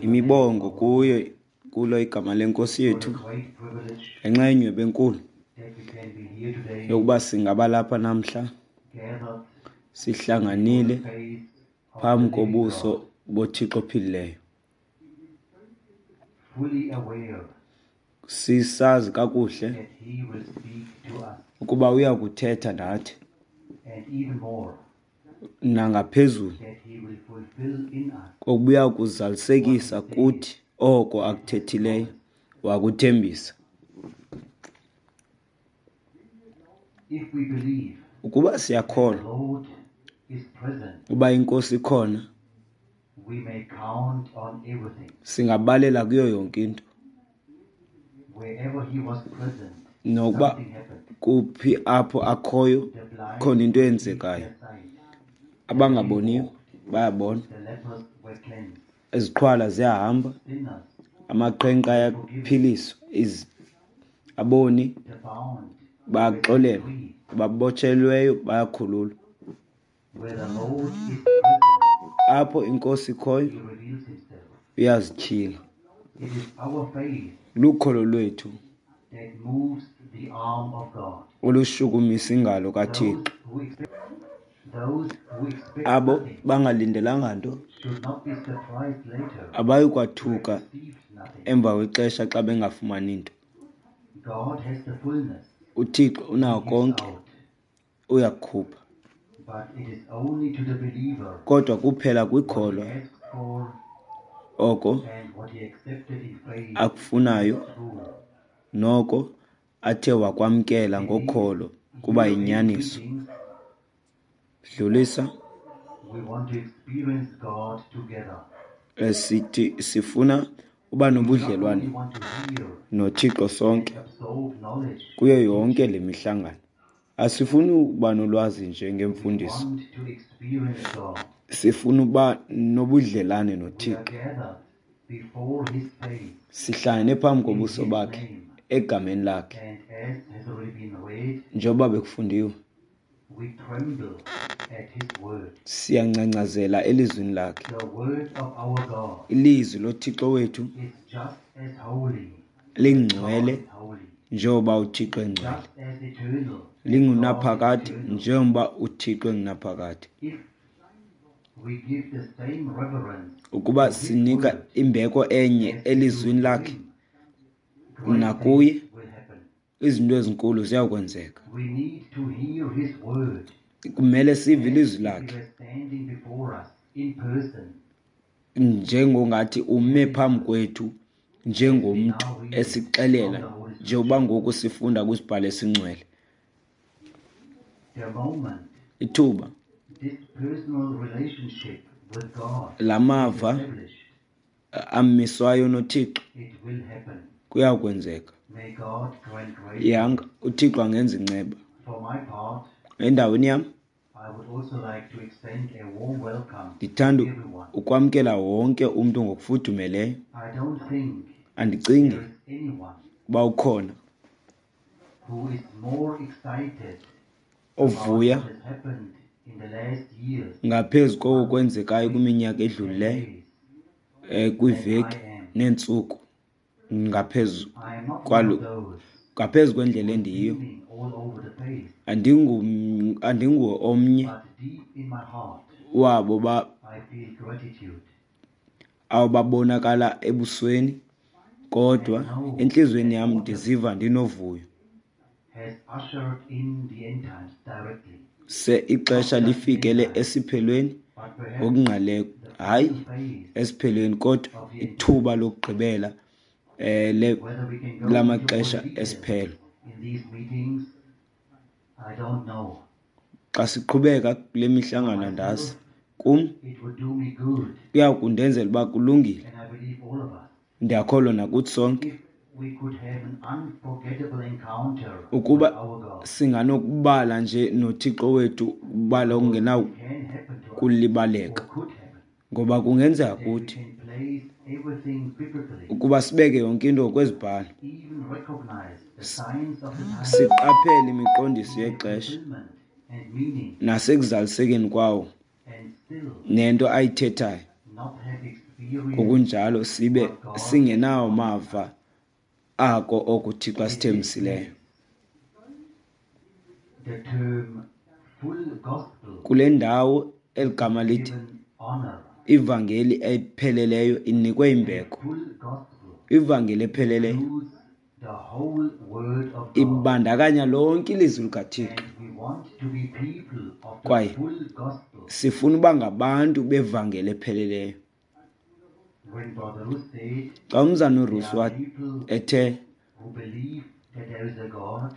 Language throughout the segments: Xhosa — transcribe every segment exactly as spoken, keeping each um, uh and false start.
Imibongo kuyo kulo igama lenkosi yethu ngenxa yenyhweba enkulu yokuba singaba lapha namhla sihlanganile phambi kobuso boThixo ophilileyo. Sisazi kakuhle ukuba uya kuthetha nathi nangaphezulu kokuba uya kuzalisekisa kuthi oko akuthethileyo wakuthembisa. Ukuba siyakholwa uba inkosi ikhona, singabalela kuyo yonke into. Nokuba kuphi apho akhoyo, khona into eyenzekayo. Abangaboniyo bayabona, iziqhwala ziyahamba, amaqhenqa ayaphiliswa, aboni bayaxolelwa, ababotshelweyo bayakhululwa. Apho inkosi ikhoyo uyazityhila. Lukholo lwethu olushukumisa ingalo kaThixo. Abo bangalindelanga nto abayi kwathuka emva kwexesha xa bengafumani nto. UThixo unako konke, uyakukhupha. Kodwa kuphela kwikholwa oko akufunayo noko athe wakwamkela ngokholo kuba yinyaniso. Dlulisa. Sithi sifuna uba nobudlelwane noThixo sonke kuyo yonke le mihlangano. Asifuni uba nolwazi nje ngemfundiso, sifuna uba nobudlelane noThixo. Sihlangene phambi kobuso bakhe egameni lakhe, njengoba bekufundiwe. Siyangcangcazela elizwini lakhe. Ilizwi loThixo wethu lingcwele njengoba uThixo engcwele, lingunaphakade njengoba uThixo engunaphakade. Ukuba sinika imbeko enye elizwini lakhe nakuye, izinto ezinkulu ziyakwenzeka. Kumele sive ilizwi lakhe njengongathi ume phambi kwethu njengomntu esixelela, njengoba ngoku sifunda kwisibhalo esingcwele. Ithuba lamava amiswayo noThixo kuyakwenzeka. Yanga uThixo angenza inceba. Endaweni yam ndithanda ukwamkela wonke umntu ngokufudumeleyo. Andicingi uba ukhona ovuya ngaphezu koko kwenzekayo kwiminyaka edlulileyo, kwiiveki neentsuku, ngaphezu kwalo, ngaphezu kwendlela endiyiyo. Andingu, andinguwo omnye wabo ba awababonakala ebusweni, kodwa entliziyweni yam ndiziva ndinovuyo. Se ixesha lifikele esiphelweni ngokungqaleko, hayi esiphelweni, kodwa ithuba lokugqibela eh lamaxesha esiphelo. Xa siqhubeka kule mihlangano andazi, kum kuya kundenzela uba kulungile. Ndiyakholwa nakuthi sonke ukuba singanokubala nje noThixo wethu ubala okungenakulibaleka, ngoba kungenzeka kuthi ukuba sibeke yonke into ngokwezibhalo, siqaphele imiqondiso yexesha nasekuzalisekeni kwawo nento ayithethayo, Ngokunjalo sibe singenawo mava ako oko uThixo asithembisileyo. Kule ndawo eli gama lithi ivangeli epheleleyo inikwe imbeko. Ivangeli epheleleyo ibandakanya lonke ilizwi likaThixo, kwaye sifuna uba ngabantu bevangeli epheleleyo. Xa umzana uRusi ethe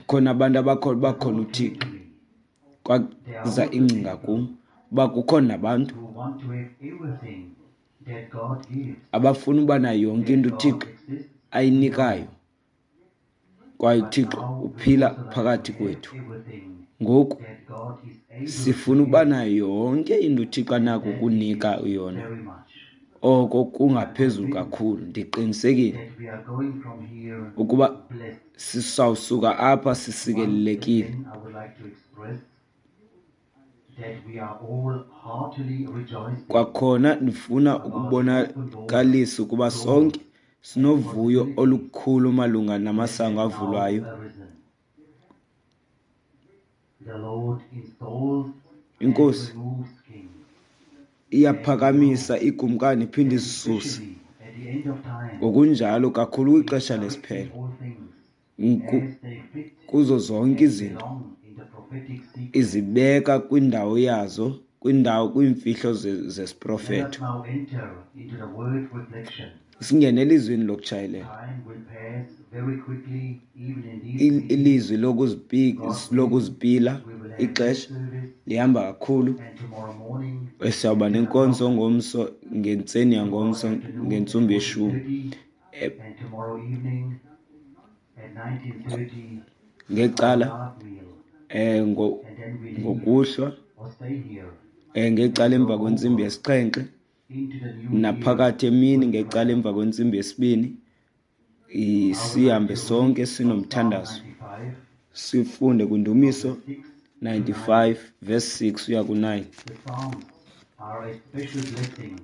khona abantu abakholwa uba khona uThixo, kwaza ingcinga kum uba kukhona nabantu abafuna uba nayo yonke into uThixo ayinikayo, kwaye uThixo uphila phakathi kwethu. Ngoku sifuna uba nayo yonke into uThixo anako ukunika yona, oko kungaphezulu kakhulu. Ndiqinisekile ukuba sisawusuka apha sisikelelekile. Kwakhona ndifuna ukubonakalisa ukuba sonke sinovuyo olukhulu malunga namasango avulwayo. Inkosi iyaphakamisa ikumkani iphinde izisuse. Ngokunjalo kakhulu kwixesha lesiphelo, kuzo zonke izinto izibeka kwindawo yazo, kwindawo kwiimfihlo zesiprofeto. Singene elizwini lokutshayelela, ilizwi lokuzipila. Ixesha lihamba kakhulu. Siyawuba nenkonzo ngomso, ngentseni yangomso ngentsumbi yeshumi ngecala eh ngokuhlwa, eh ngecala emva kwentsimbi yesixhenxe, naphakathi emini ngecala emva kwentsimbi yesibini. Sihambe sonke sinomthandazo, sifunde kwindumiso ninety-five verse six uya ku nine.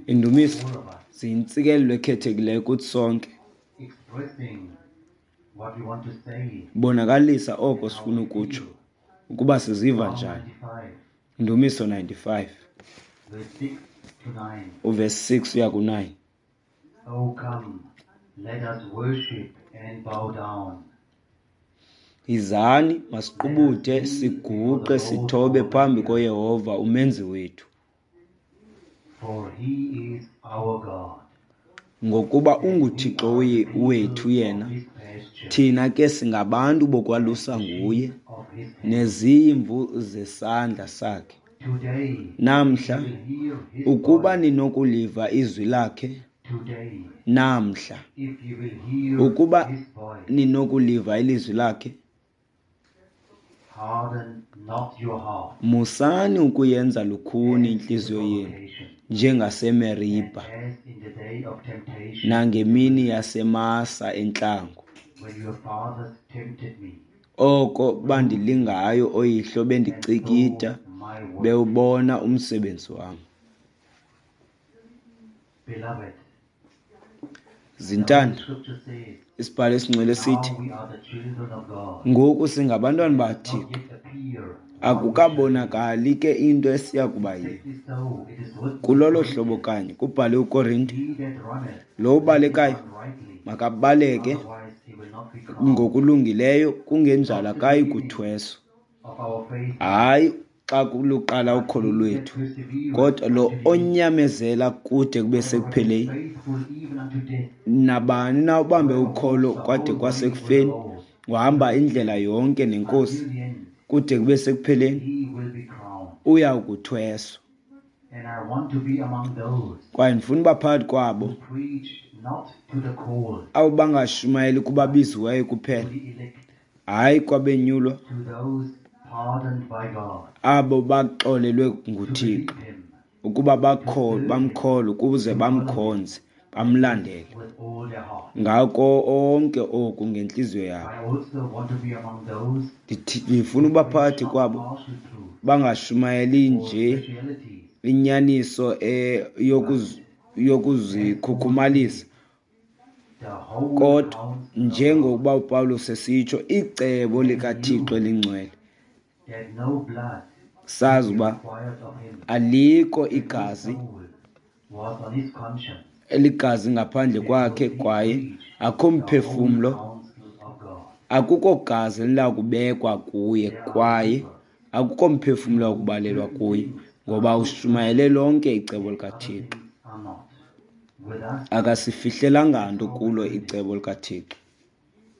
Indumiso ziyintsikelelo ekhethekileyo kuthi sonke, bonakalisa oko sifuna ukutsho ukuba siziva njani. Indumiso ninety-five uverse six uya ku nine. Oh, come, let us worship and bow down. Yizani, masiqubude siguqe sithobe phambi koYehova umenzi wethu. For he is our God. Ngokuba unguThixo wethu yena, thina ke singabantu bokwalusa nguye, nezimvu zesandla sakhe. Namhla, ukuba ninokuliva izwi lakhe, namhla, ukuba ninokuliva ilizwi lakhe, musani ukuyenza lukhuni intliziyo yenu njengaseMeribha nangemini yaseMasa entlango, oko bandilingayo oyihlo bendicikida bewubona umsebenzi wam. Zintanda, isibhalo esingcwele sithi ngoku singabantwana baThixo, akukabonakali ke into esiya kuba yiyo. Kulolo hlobo kanye kubhale uKorinte, lo ubalekayo makabaleke ngokulungileyo, kungenjalo akayi kuthweswa. Hayi xa luqala ukholo lwethu, kodwa lo onyamezela kude kube sekupheleni. Nabani na ubambe ukholo kwade kwasekufeni, uhamba indlela yonke nenkosi kude kube sekupheleni, uya kuthweswa. Kwaye ndifuna uba phakathi kwabo abo bangashumayeli kubabiziweyo kuphela, hayi kwabenyulwa, abo baxolelwe nguThixo ukuba bamkholwe ukuze bamkhonze bamlandele ngako onke oku ngentliziyo yabo. Ndifuna uba phakathi kwabo bangashumayeli nje inyaniso yokuzikhukhumalisa, the whole kodwa counsel of God, njengokuba uPawulos esitsho, icebo likaThixo elingcwele, that no blood sazi be uba required of him. alikho That no igazi soul was on his conscience eligazi ngaphandle kwakhe, because he kwaye preached akho the whole mphefumlo, counsel of God. akukho gazi elinakubekwa kuye, There are kwaye believers akukho mphefumlo who wakubalelwa certain kuye, things are ngoba good ushumayele lonke icebo and other likaThixo. things are not. With us, Akasifihlelanga that's nto how we kulo learn it. icebo likaThixo.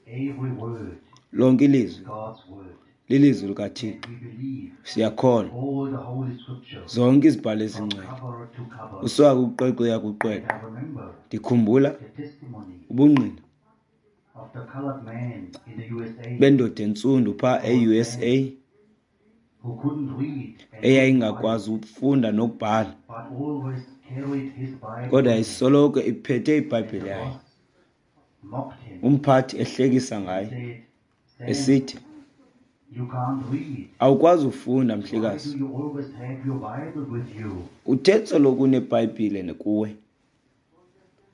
Every word Lonke is ilizwi God's word, lilizwi and likaThixo. we believe Siyakholwa all the Holy Scriptures zonke izibhalo from ezingcwele, cover to cover. usuka kuqweqwe uya And kuqweqwe. I remember Ndikhumbula the testimony ubungqina of the colored man in the U S A bendoda entsundu phaa called e-U S Sam, A who couldn't read and couldn't write, eyayingakwazi ukufunda nokubhala, but always carried his Bible kodwa with him. yayisoloko iphethe And the iBhayibhile yayo. boss mocked him Umphathi ehlekisa and ngaye said, Sam, esithi, you can't read. awukwazi ufunda Why mhlekazi, do you always have your Bible with you? uthe soloko unebhayibhile kuwe.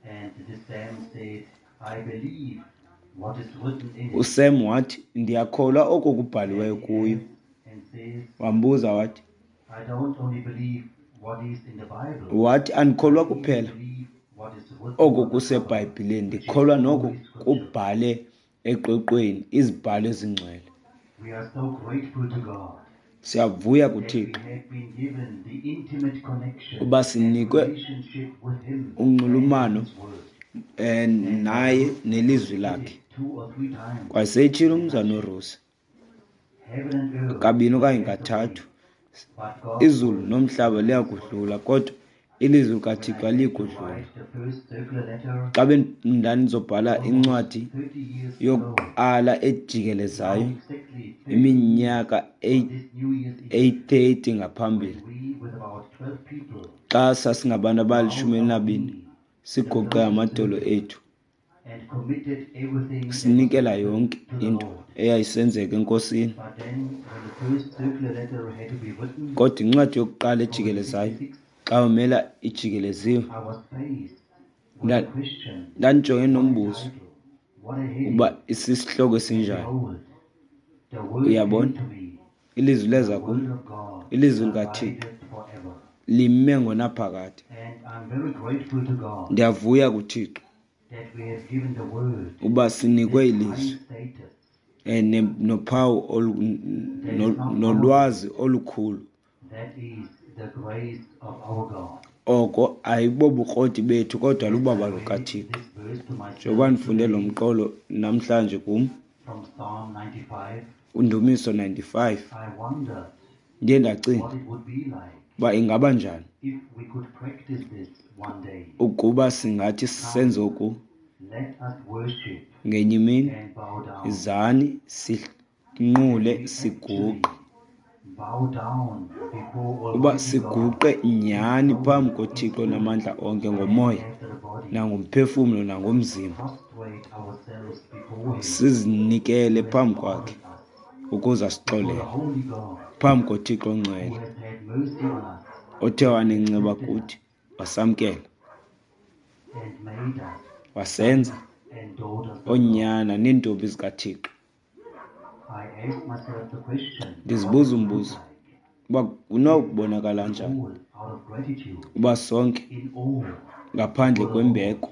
And the Sam said, I believe what is written in it. USam wathi, ndiyakholwa oko And kubhaliweyo he kuyo. adds and says, Wambuza wathi, I don't only believe what is in the Bible, wathi andikholwa I even kuphela believe what is written oko on the cover, kusebhayibhileni, which is ndikholwa noko Holy Scripture. kubhale eqweqweni izibhalo ezingcwele. We are so grateful to God Siyavuya that we kuThixo have been given the intimate connection uba and sinikwe relationship with Him and with unxulumano His Word. eh, And Brother naye Ruth nelizwi repeated lakhe. two or three times Kwaseyitshilo in a umzana nutshell. uRusi Heaven and earth kabini will okanye pass away, kathathu, but God's izulu word nomhlaba remains liyakudlula, forever. kodwa ilizwi When likaThixo I had to alikudlula. write the first circular letter Xa bendandizobhala almost incwadi thirty years ago, yokuqala now ejikelezayo exactly thirty years iminyaka on this New Year's Eve, eyi-thirty ngaphambili, when we, with about twelve people, xa sasingabantu bowed abalishumi our elinabini knee in the siguqe closest amadolo circle ethu, and committed everything that was sinikela written yonke to the into Lord. eyayisenzeka eNkosini. But then, when the first circular letter had to be written, Kodwa incwadi yokuqala from ejikelezayo, sixty-six, xa umela ijikeleziwe, I was faced with the nda- question, ndandijongene what a nombuzo title, what a heading, ukuba isisihloko and esinjani. behold, the word came Uyabona, to me, ilizwi the leza kum, word of God ilizwi likaThixo abideth forever. lime ngonaphakade. And I'm very grateful to God Ndiyavuya kuThixo that we have given the word uba sinikwe this high ilizwi status eh, ne- nophawu olu- that is no- not our nolwazi merit, olukhulu. that is the grace of our God. Oko ayibobukroti bethu kodwa As I lubaba read lukaThixo. this verse to myself Njengoba ndifunde lo today mqolo namhlanje kum, from Psalm ninety-five, uNdumiso ninety-five, I wondered ndiye ndacinga what it would be like uba ingaba njani if we could practice this one day. ukuba singathi senze oku Let us worship ngenye imini, and bow down. izani sinqule That we siguqe, actually bow down before uba Almighty God siguqe in nyhani soul, phambi in koThixo spirit, namandla onke and ngomoya after the body, nangomphefumlo nangomzimba, prostrate ourselves before Him sizinikele who has phambi kwakhe pardoned us, ukuze before the asixolele, Holy God phambi koThixo who ongcwele has had mercy on us othe and wanenceba accepted kuthi us wasamkela and made us wasenza sons and daughters of God. oonyana neentombi zikaThixo. I asked myself the question, what Ndizibuza it would look umbuzo like uba if kunokubonakala we njani all, out of gratitude, uba sonke in awe ngaphandle before the Lord, kwembeko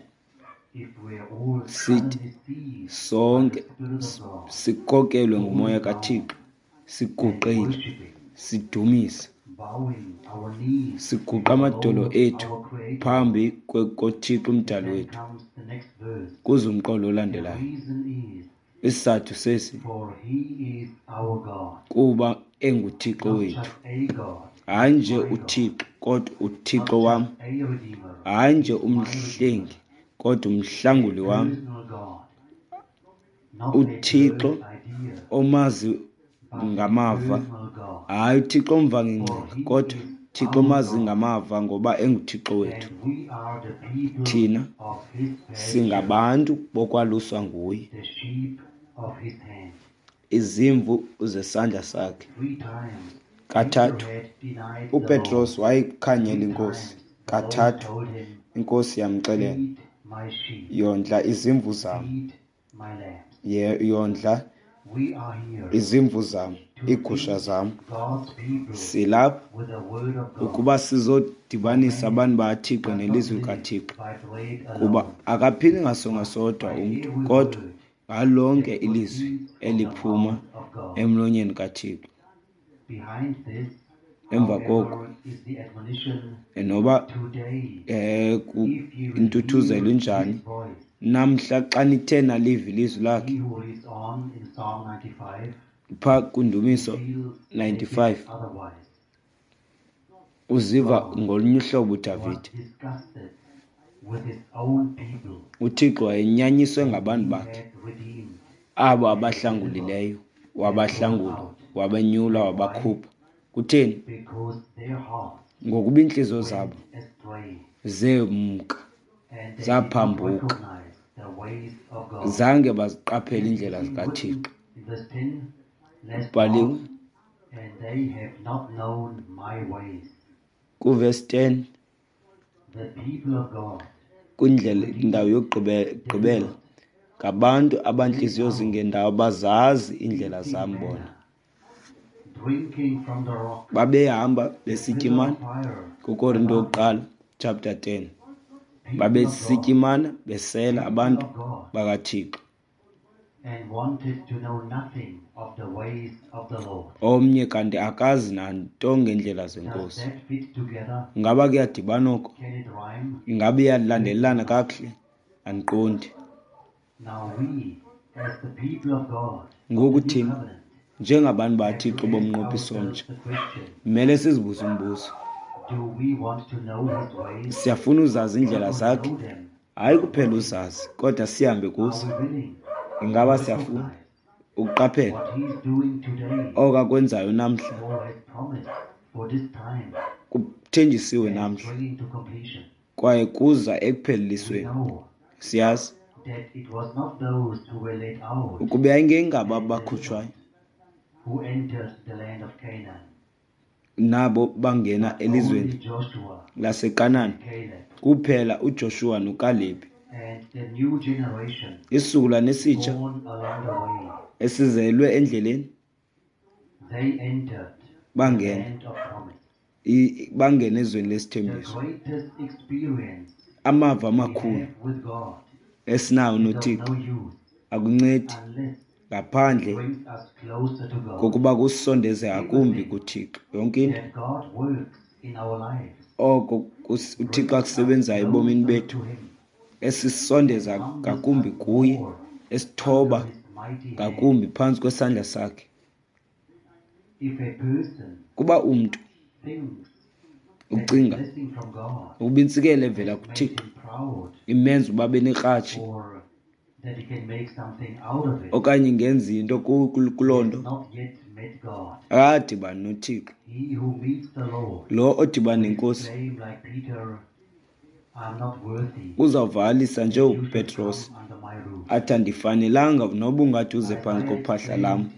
if we are all sithi suddenly seized by the sonke Spirit of God, sikhokelwe ngumoya falling down kaThixo, and siguqile, worshiping, sidumisa, bowing our knees siguqa before the amadolo Lord ethu our Creator. phambi kwe- koThixo And umdali then wethu. comes the next verse. Kuze umqolo The olandelayo. reason is, Isizathu sesi for He is our God, kuba enguThixo not wethu. just a God, Hayi but nje my God, uThixo kodwa uThixo not wam, just a Redeemer, hayi nje he's my Redeemer, umhlengi kodwa a umhlanguli wam, personal God, not a uThixo bird idea, omazi but a ngamava, personal God. hayi uThixo omva For ngengcinga He kodwa is Thixo our omazi God, ngamava ngoba enguThixo wethu. and we are the people Thina of His pasture, singabantu bokwaluswa nguye, the sheep of His hand. izimvu zesandla sakhe. Three times Peter Kathathu had denied the uPetros Lord. wayikhanyela Three iNkosi. times the Lord Kathathu told him Inkosi yamxelela, Feed my sheep, yondla izimvu zam, feed my lambs. Ye- yondla We are here izimvu zam, to iigusha feed zam. God's people Silapha with the word of God. ukuba sizodibanisa abantu bakaThixo Does not nelizwi live likaThixo, by bread kuba alone, akaphili ngasonga sodwa by umntu, every kodwa word ngalonke that ilizwi proceeds from the eliphuma mouth of God. emlonyeni kaThixo. Behind this, Emva koko, however, is the admonition noba today, eh ku- if you will intuthuzelo hear injani his voice. namhla, xa nithe naliva ilizwi lakhe. He who reads on in Psalm ninety-five Phaa kundumiso feels a bit ninety-five otherwise. uziva God ngolunye uhlobo was uDavide. disgusted with his own people UThixo wayenyanyiswe whom ngabantu he bakhe, had redeemed abo and delivered abahlangulileyo, and brought wabahlangula, out. wabenyula, And why? wabakhupha. Kutheni? Because their hearts Ngokuba iintliziyo went zabo astray zemka, and they did not zaphambuka, recognize the ways of God. zange baziqaphele It iindlela is written zikaThixo. in verse ten, last Kubhaliwe part, and they have not known my ways. kuvesi ten, The people of God, kwindlela indawo redeemed, yokugqibela, delivered, ngabantu led abantliziyo out, zingendawo, bazazi iindlela eating zam bona. manna, drinking from the rock, Babehamba the besitya pillar imana, of fire kuKorinto above them. yokuqala chapter ten. People of Babesitya God, imana, besela, people abantu of God, bakaThixo. and wanted to know nothing of the ways of the Lord. Omnye kanti akazi nanto ngeendlela Does zenkosi. that fit together? Ingaba kuyadibana oko? Can it rhyme? Ingaba iyalandelelana Certainly not. kakuhle? Andiqondi. Now we, as the people of God, of Ngoku the new thina covenant, njengabantu have to bakaThixo ask bomnqophiso ourselves omtsha, the question, kumele sizibuze umbuzo. do we want to know his ways? Siyafuna uzazi Not iindlela only zakhe, know them, hayi but kuphela walk in them. uzazi, kodwa sihambe Are kuzo. we willing to Ingaba siyafuna recognize ukuqaphela what he is doing today oko akwenzayo namhla, or has promised for this time kuthenjisiwe and is namhla, bringing to completion? kwaye kuza We ekuphelelisweni. know Siyazi that it was not those who were led out ukuba yayingengabo and abakhutshwayo delivered who entered the land of Canaan, nabo bangena but elizweni only Joshua laseKanani, and Caleb kuphela uJoshua noKalebi. and the new generation Isizukulwane esitsha born along the way. esizelwe endleleni They entered the bangena land of promise. i- bangena ezweni The lesithembiso. greatest experience Amava we amakhulu have with God esinawo is of noThixo no use akuncedi unless it ngaphandle brings us closer to God. kokuba kusondeze ngakumbi Everything kuThixo. Yonke into that God works in our lives oko kus- uThixo brings us akusebenzayo ebomini closer bethu to Him esisondeza and humbles ngakumbi us kuye, more esithoba under His mighty hand. ngakumbi phantsi kwesandla sakhe. If a person Kuba umntu thinks that a ucinga blessing from God ukuba intsikelo evela has made kuThixo him proud imenza uba abe nekratshi or that he can make something out of it, okanye ingenza into ku- ku- he kuloo has nto, not yet met God. akadibani noThixo. He who meets the Lord Lo odibana will nenkosi exclaim like Peter, I'm not worthy uzawuvakalisa that you should njengoPetros come under my roof. athi, andifanelanga noba ungathi uze phantsi Isaiah kophahla lam. exclaimed,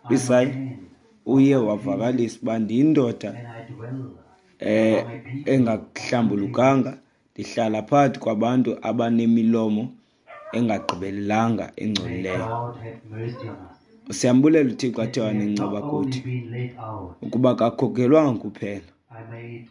I'm a Isaya man of uye unclean wavakalisa uba ndiyindoda and I dwell eh among a people of unclean engahlambulukanga, lips. ndihlala phakathi kwabantu abanemilomo engagqibelelanga May engcolileyo. God have mercy on us Siyambulela uThixo athe that we have wanenceba not only kuthi, been laid out. ukuba kakhokhelwanga kuphela. I made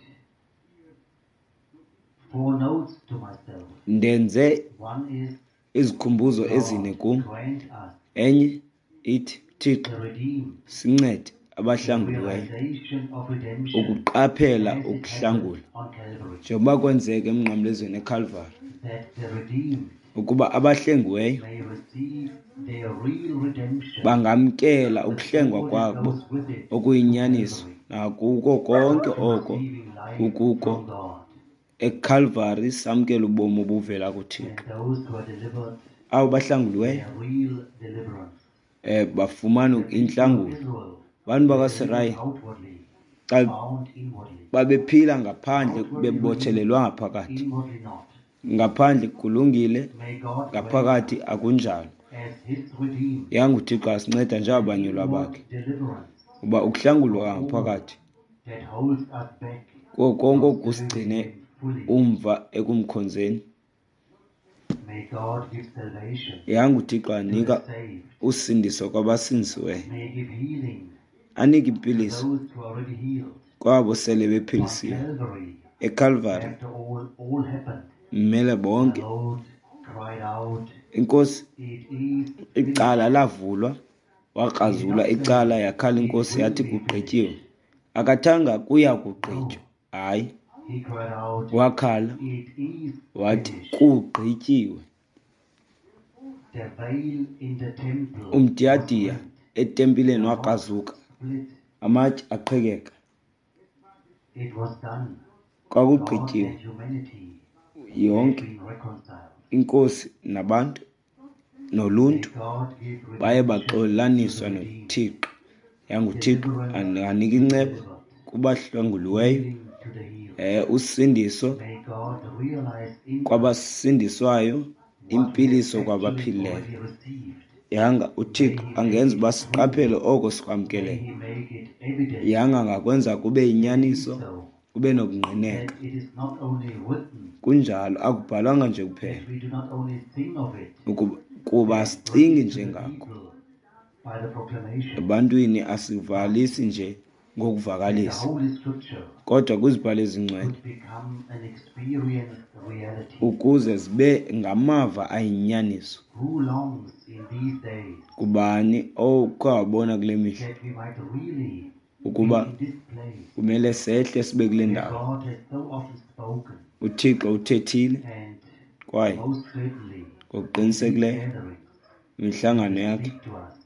four notes to myself. Ndenze One is izikhumbuzo ezine God kum. grant us Enye ithi, Thixo the redeemed, sincede the abahlanguliweyo realization of redemption ukuqaphela as it happened ukuhlangula on Calvary, njengoba kwenzeka emnqamlezweni eKalvari, that the redeemed ukuba abahlengiweyo may receive their real redemption bangamkela with ukuhlengwa all that kwabo goes with it to okuyinyaniso Calvary, nakuko konke to oko receiving life kukuko from God. eKalvari, samkela ubomi obuvela kuThixo. And those who are delivered Abo bahlanguliweyo their real deliverance. eh bafumana The people of intlangulo. Israel Abantu were delivered bakaSirayeli outwardly, xa bound inwardly. babephila ngaphandle Outwardly redeemed, bebotshelelwa ngaphakathi. inwardly not. Ngaphandle kulungile, May God grant ngaphakathi us, akunjalo. as his redeemed, Yanguthixo asinceda an njengabanyulwa inward bakhe, deliverance uba ukuhlangulwa from all ngaphakathi that holds us back kuko konke from serving okusigcine him fully. Umva ekumkhonzeni. May God give salvation Yanga uThixo to the anika saved. usindiso kwabasindisiweyo. May he give healing Anike to impiliso those who are already healed. kwabo sele On bephilisiwe. Calvary, ECalvary after all, all happened, mmele the bonke. Lord cried out, Inkosi "It is finished." icala lavulwa, wakrazula icala, yakhala inkosi yathi kugqityiwe. Akathanga kuya kugqitywa. Hayi, He cried out, wakhala "It is wathi finished." kugqityiwe. The veil in the temple was Umdiyadiya rent. etempileni The rocks wakrazuka, split. amatye aqhekeka. It was done. God Kwakugqityiwe. and humanity had Yonke been reconciled. inkosi nabantu May noluntu God give baye redemption to baxolelaniswa the redeemed, noThixo. YanguThixo deliverance anganika to the inceba delivered, kubahlanguliweyo, healing to the healed. eh usindiso May God realize in us kwabasindiswayo, what we have impiliso actually kwabaphilileyo. already received. Yanga May uThixo He make angenza it uba true. siqaphele oko May sikwamkeleyo. He make it evident Yanga angakwenza kube that it is yinyaniso, so, kube nokungqineka. that it is not only written, Kunjalo, akubhalwanga nje kuphela that we do not only sing of it ukuba kuba and bring asicingi it to nje the ngako. people by the proclamation, Ebantwini asivalisi nje that the ngokuvakalisa, Holy Scripture kodwa kwizibhalo ezingcwele could become an experienced reality. ukuze zibe ngamava ayinyaniso. Who longs in these days Kubani okhe wabona kule mihla that we might really be ukuba in this place kumele sehle sibe kule where ndawo? God has so often spoken, uThixo uthethile and kwaye most certainly in these ngokuqinisekileyo gatherings imihlangano to yakhe, speak to us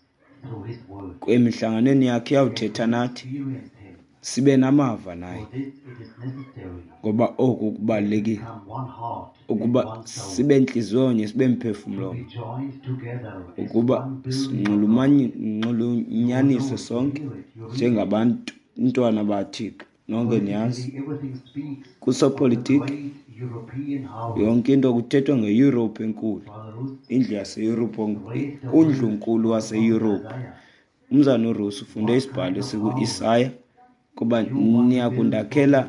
through His Word, emihlanganweni yakhe that iyawuthetha we nathi, experience Him. sibe namava naye. For this it is necessary Ngoba oku that we kubalulekile become one heart and ukuba one soul, sibe ntliziyonye, sibe to mphefumlo be mnye, joined together as ukuba one building of God. You will know sinxulunyaniswe it, you sonke hear it, you read it. njengabantwana baThixo. Nonke niyazi Politically, everything speaks of the kusopolitiki great European house. yonke into kuthethwa ngeYurophu enkulu, Brother Ruth indlu yaseYurophu, read the word undlunkulu from the prophet waseYurophu. Isaiah. Umzana uRusi ufunde What isibhalo kind of house esiku-Isaya kuba you want to build for niyakundakhela me?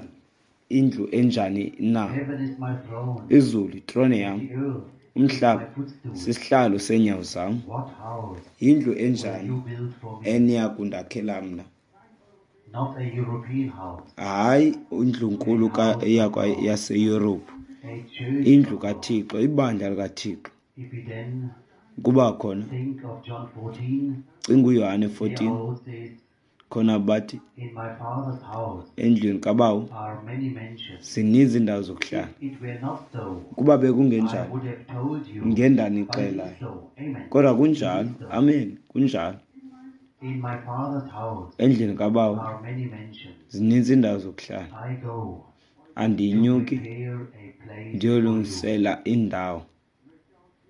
indlu enjani na? Heaven is my throne, Izulu itrone and yam, the earth is my umhlaba footstool. sisihlalo seenyawo zam. What house Yindlu will enjani you build for me? eniyakundakhela mna? Not a European house, Hayi a indlunkulu ka- house of yakwa God, yaseYurophu, a church indlu of God. kaThixo, ibandla likaThixo. If we then Kuba khona think of John fourteen, cinga uYohane there fourteen, our Lord says, khona bathi "In my Father's house endlwini kabawo are many mansions. zininzi iindawo zokuhlala. If it were not so, Ukuba I bekungenjalo, would have told you, but it ngendanixelayo. is so." Amen. Kodwa It kunjalo, is so. amen, kunjalo. In my Father's house Endlwini kabawo are many mansions. zininzi iindawo zokuhlala. I go to Andinyuki prepare a place for you. ndiyolungisela indawo.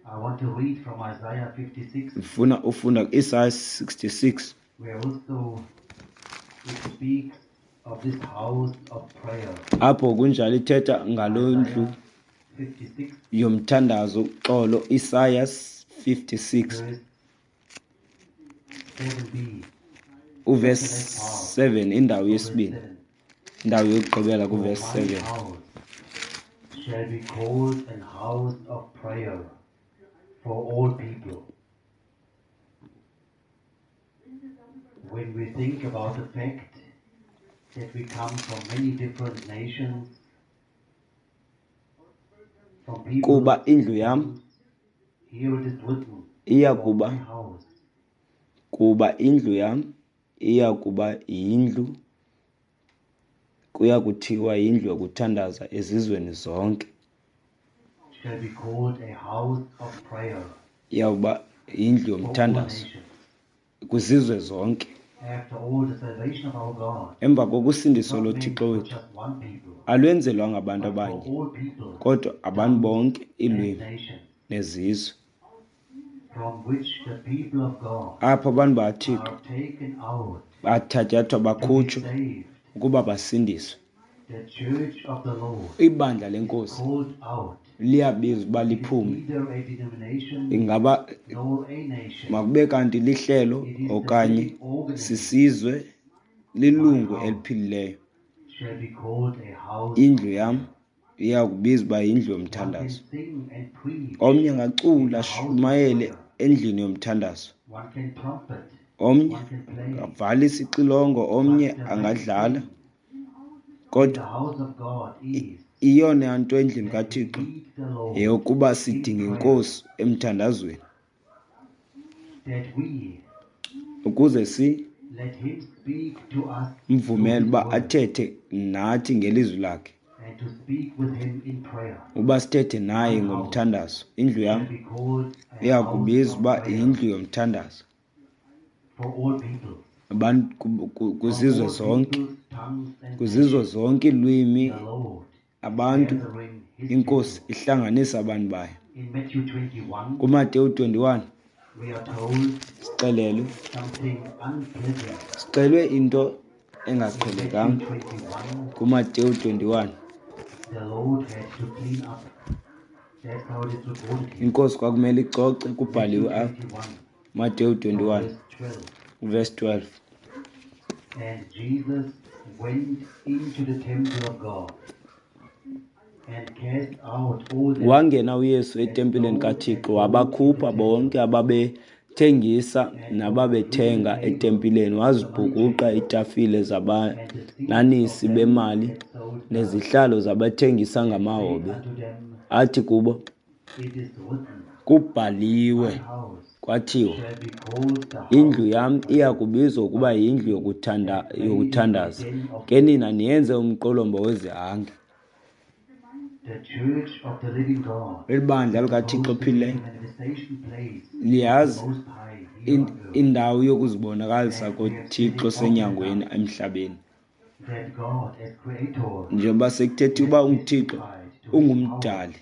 I want to read from Isaiah fifty-six, Ndifuna ufunda ku-Isaya sixty-six, where also it speaks of this house of prayer. apho kunjalo ithetha ngaloo ndlu Isaiah fifty-six, yomthandazo uxolo, Isaya fifty-six verse seven b, uvesi just the next part seven, indawo of verse yesibini, seven. indawo yokugqibela For kuvesi my seven. house shall be called an house of prayer for all people. When we think about the fact that we come from many different nations, from Kuba peoples indlu and yam tongues, here it is written, iya "For kuba my house kuba indlu yam iya kuba yindlu, kuya kuthiwa yindlu yokuthandaza ezizweni zonke. shall be called a house of prayer Iyawuba yindlu for all yomthandazo nations." kwizizwe zonke. After all, the salvation of our God Emva is kokusindiso not meant loThixo for wethu just one people, alwenzelwanga abantu but for abanye, all people, kodwa abantu tongues, bonke, and iilwimi nations, nezizwe, from which the people of God apho abantu bakaThixo are taken out bathatyathwa to be bakhutshwe saved. ukuba basindiswe. The church of the Lord Ibandla is lenkosi called out. liyabizwa uba It is liphume. neither a denomination Ingaba nor a nation. makube kanti lihlelo It is the okanye living organism. sisizwe, My lilungu house eliphilileyo. shall be called a house Indlu of yam prayer. Iya kubizwa uba yindlu One can yomthandazo. sing and preach Omnye in angacula the house of ashumayele prayer. endlini yomthandazo. One can trumpet, Omnye one can play. angavala isixilongo, omnye But the main angadlala. thing in the Kodwa house of God is iyona nto endlini that we kaThixo need the Lord yeyokuba in sidinga prayer, inkosi emthandazweni that we ukuze si let Him speak to us through mvumele His uba word athethe nathi ngelizwi lakhe, and to speak with Him in prayer. uba sithethe naye My house ngomthandazo. Indlu shall yam be called a iya house kubizwa of uba prayer yindlu yomthandazo for all people, abantu ku- ku- from kwizizwe all zonke, peoples, tongues, and kwizizwe nations. zonke iilwimi, The Lord is abantu. gathering His Inkosi people. ihlanganisa abantu bayo. In Matthew twenty-one, KuMateyu twenty-one we are told sixelelwe something unpleasant. sixelwe into In Matthew engaqhelekanga. twenty-one, KuMateyu twenty-one the Lord had to clean up. That's how it is recorded here. inkosi kwakumele icoce, Matthew kubhaliwe apha. twenty-one, Mateyu from twenty-one verse twelve. verse twelve. And Jesus went into the temple of God and cast out all that Wangena uYesu that etempileni sold and kaThixo, bought in the wabakhupha temple, bonke ababethengisa and overthrew the nababethenga tables etempileni, of the money wazibhukuqa changers iitafile and the seats zabananisi of them bemali that sold doves, nezihlalo zabathengisa and said ngamahobe. unto them, Athi kubo, It is written, kubhaliwe My house kwathiwa, shall be called the indlu house of yam prayer, iya kubizwa ukuba but yindlu ye yokuthanda have made it a yokuthandaza, den of ke nina thieves. niyenze umqolomba wezihange. The church of the living God Eli bandla is likaThixo supposed to be the ophilileyo manifestation place of the liyazi Most High here in- on earth. indawo yokuzibonakalisa And we have said koThixo it often senyangweni enough emhlabeni. that God as creator Njengoba sekuthethiwe has uba unguThixo, testified to his power ungumdali,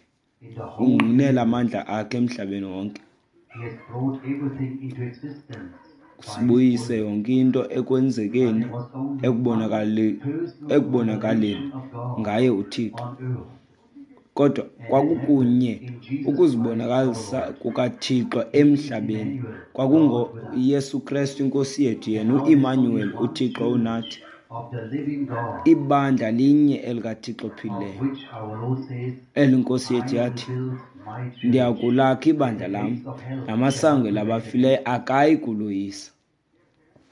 in the whole ungunela universe. amandla akhe emhlabeni wonke. He has brought everything into existence by his Sibuyise word. yonke into But ekwenzekeni there was only one ekubonakali personal ekubonakaleni revelation of God ngaye uThixo. on earth, Kodwa and that happened kwakukunye in Jesus Christ our ukuzibonakalisa Lord. kukaThixo He is emhlabeni, Emmanuel, God with us. kwakungoYesu Krestu inkosi yethu, And yena now there's only uImmanuel, one uThixo church unathi. of the living God, Ibandla linye elikaThixo of ophilileyo, which our Lord says, eli Nkosi I yethu will yathi, build my church, ndiyakulakha and ibandla the lam, gates of hell shall namasango not prevail labafileyo against it. akayi kuloyisa.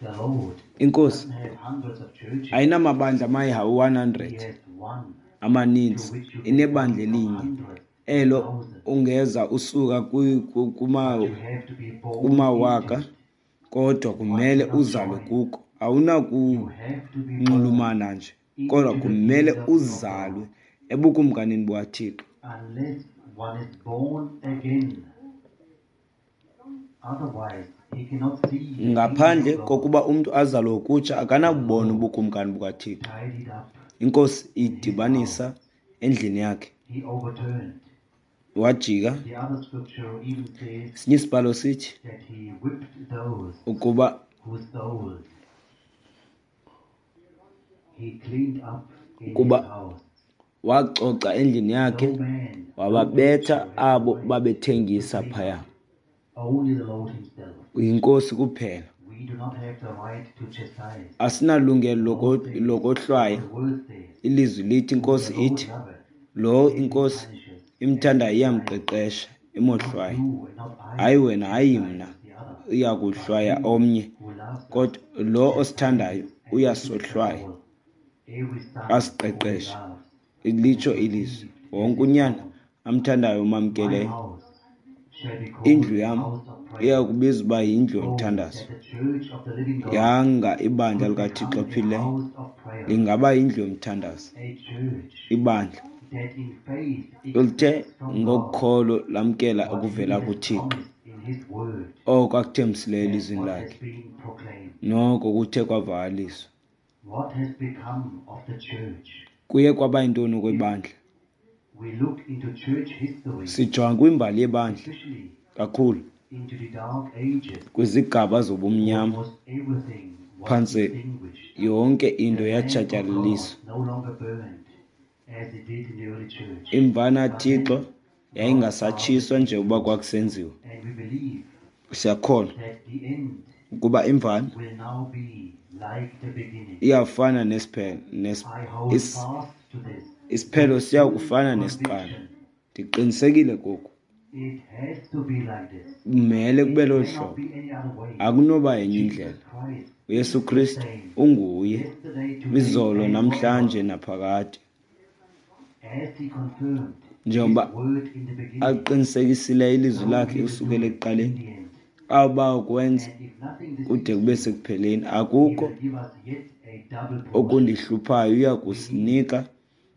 The Lord Inkosi doesn't have hundreds of churches. ayinamabandla amayi-one He hundred has one to amaninzi, which you can come inebandla from elinye hundreds and elo thousands, ungeza usuka kwi- ku- kuma- but you have to be born into kumawaka, it. kodwa One kumele cannot uzalwe join. kuko. You have to be born Awunakunxulumana nje, kodwa into the kumele kingdom of God. uzalwe ebukumkanini bukaThixo. Unless one is born again. Otherwise, he cannot see the kingdom Ngaphandle of God. kokuba umntu azalwe ngokutsha, The akanakubona Lord ubukumkani bukaThixo. tidied up Inkosi in his idibanisa house. endlini yakhe. He overturned. Wajika. The other scripture even says Esinye isibhalo sithi that he whipped those ukuba who sold. He cleaned up in his Kuba house. wacoca endlini yakhe, No man, no wababetha creature had the abo right to babethengisa clean phaya. up. Only the Lord himself. Yinkosi kuphela. We do not have the right to chastise. Asinalungelo The loko- Lord says, lokohlwaya. the word says, Ilizwi lithi, whom the inkosi Lord ithi, loveth, lo him he inkosi punishes and imthandayo chastises. iyamqeqesha, Not imohlwaye. you and not I Hayi wena, hayi mna, chastises the other, iya but kuhlwaya he omnye, who loves us kodwa lo osithandayo chastises and rebukes us uyasohlwaya, all. Every son whom he asiqeqeshe. loves and Litsho has ilizwi, received as wonke his unyana own. amthandayo My umamkeleyo. house shall be called Indlu a yam house of prayer. iya kubizwa uba yindlu Oh, yomthandazo. that the church of the living God Yanga ibandla could likaThixo become a ophilileyo house of prayer, lingaba yindlu yomthandazo. a church Ibandla that in faith oluthe expects from God ngokholo lamkela what he okuvela has kuThixo, promised in his word oko akuthembisileyo and elizwini what has lakhe, been proclaimed. noko kuthe kwavakaliswa. What has become of the church? Kuye kwaba yintoni If kwebandla? we look into church history, Sijonga kwimbali yebandla especially kakhulu into the dark ages, kwizigaba zobumnyama, almost everything was phantse extinguished. yonke into The Lamb of God yatshatyalaliswa. no longer burned as it did in the early church. Imvana But Thixo then God yayingasatshiswa harvested njengoba kwakusenziwa. and we believe Siyakholwa that the end ukuba imvana will now be like the beginning. iyafana nesiphelo nes I hold is fast to this Isiphelo with siya full kufana nesiqalo. conviction. Ndiqinisekile koku. It has to be like this. Kumele It kube lolu cannot hlobo. be any other way. Akunoba yenye Jesus indlela. Christ UYesu is the Kristu same unguye yesterday, today, izolo and namhlanje forever. naphakade. As he confirmed his Njengoba word in the beginning, aqinisekisileyo ilizwi so lakhe he will do usukela it in ekuqaleni, the end. awuba ukwenza And if nothing kude deceives kube me, sekupheleni. he Akukho will give us yet a double portion. okundihluphayo, uya We need, kusinika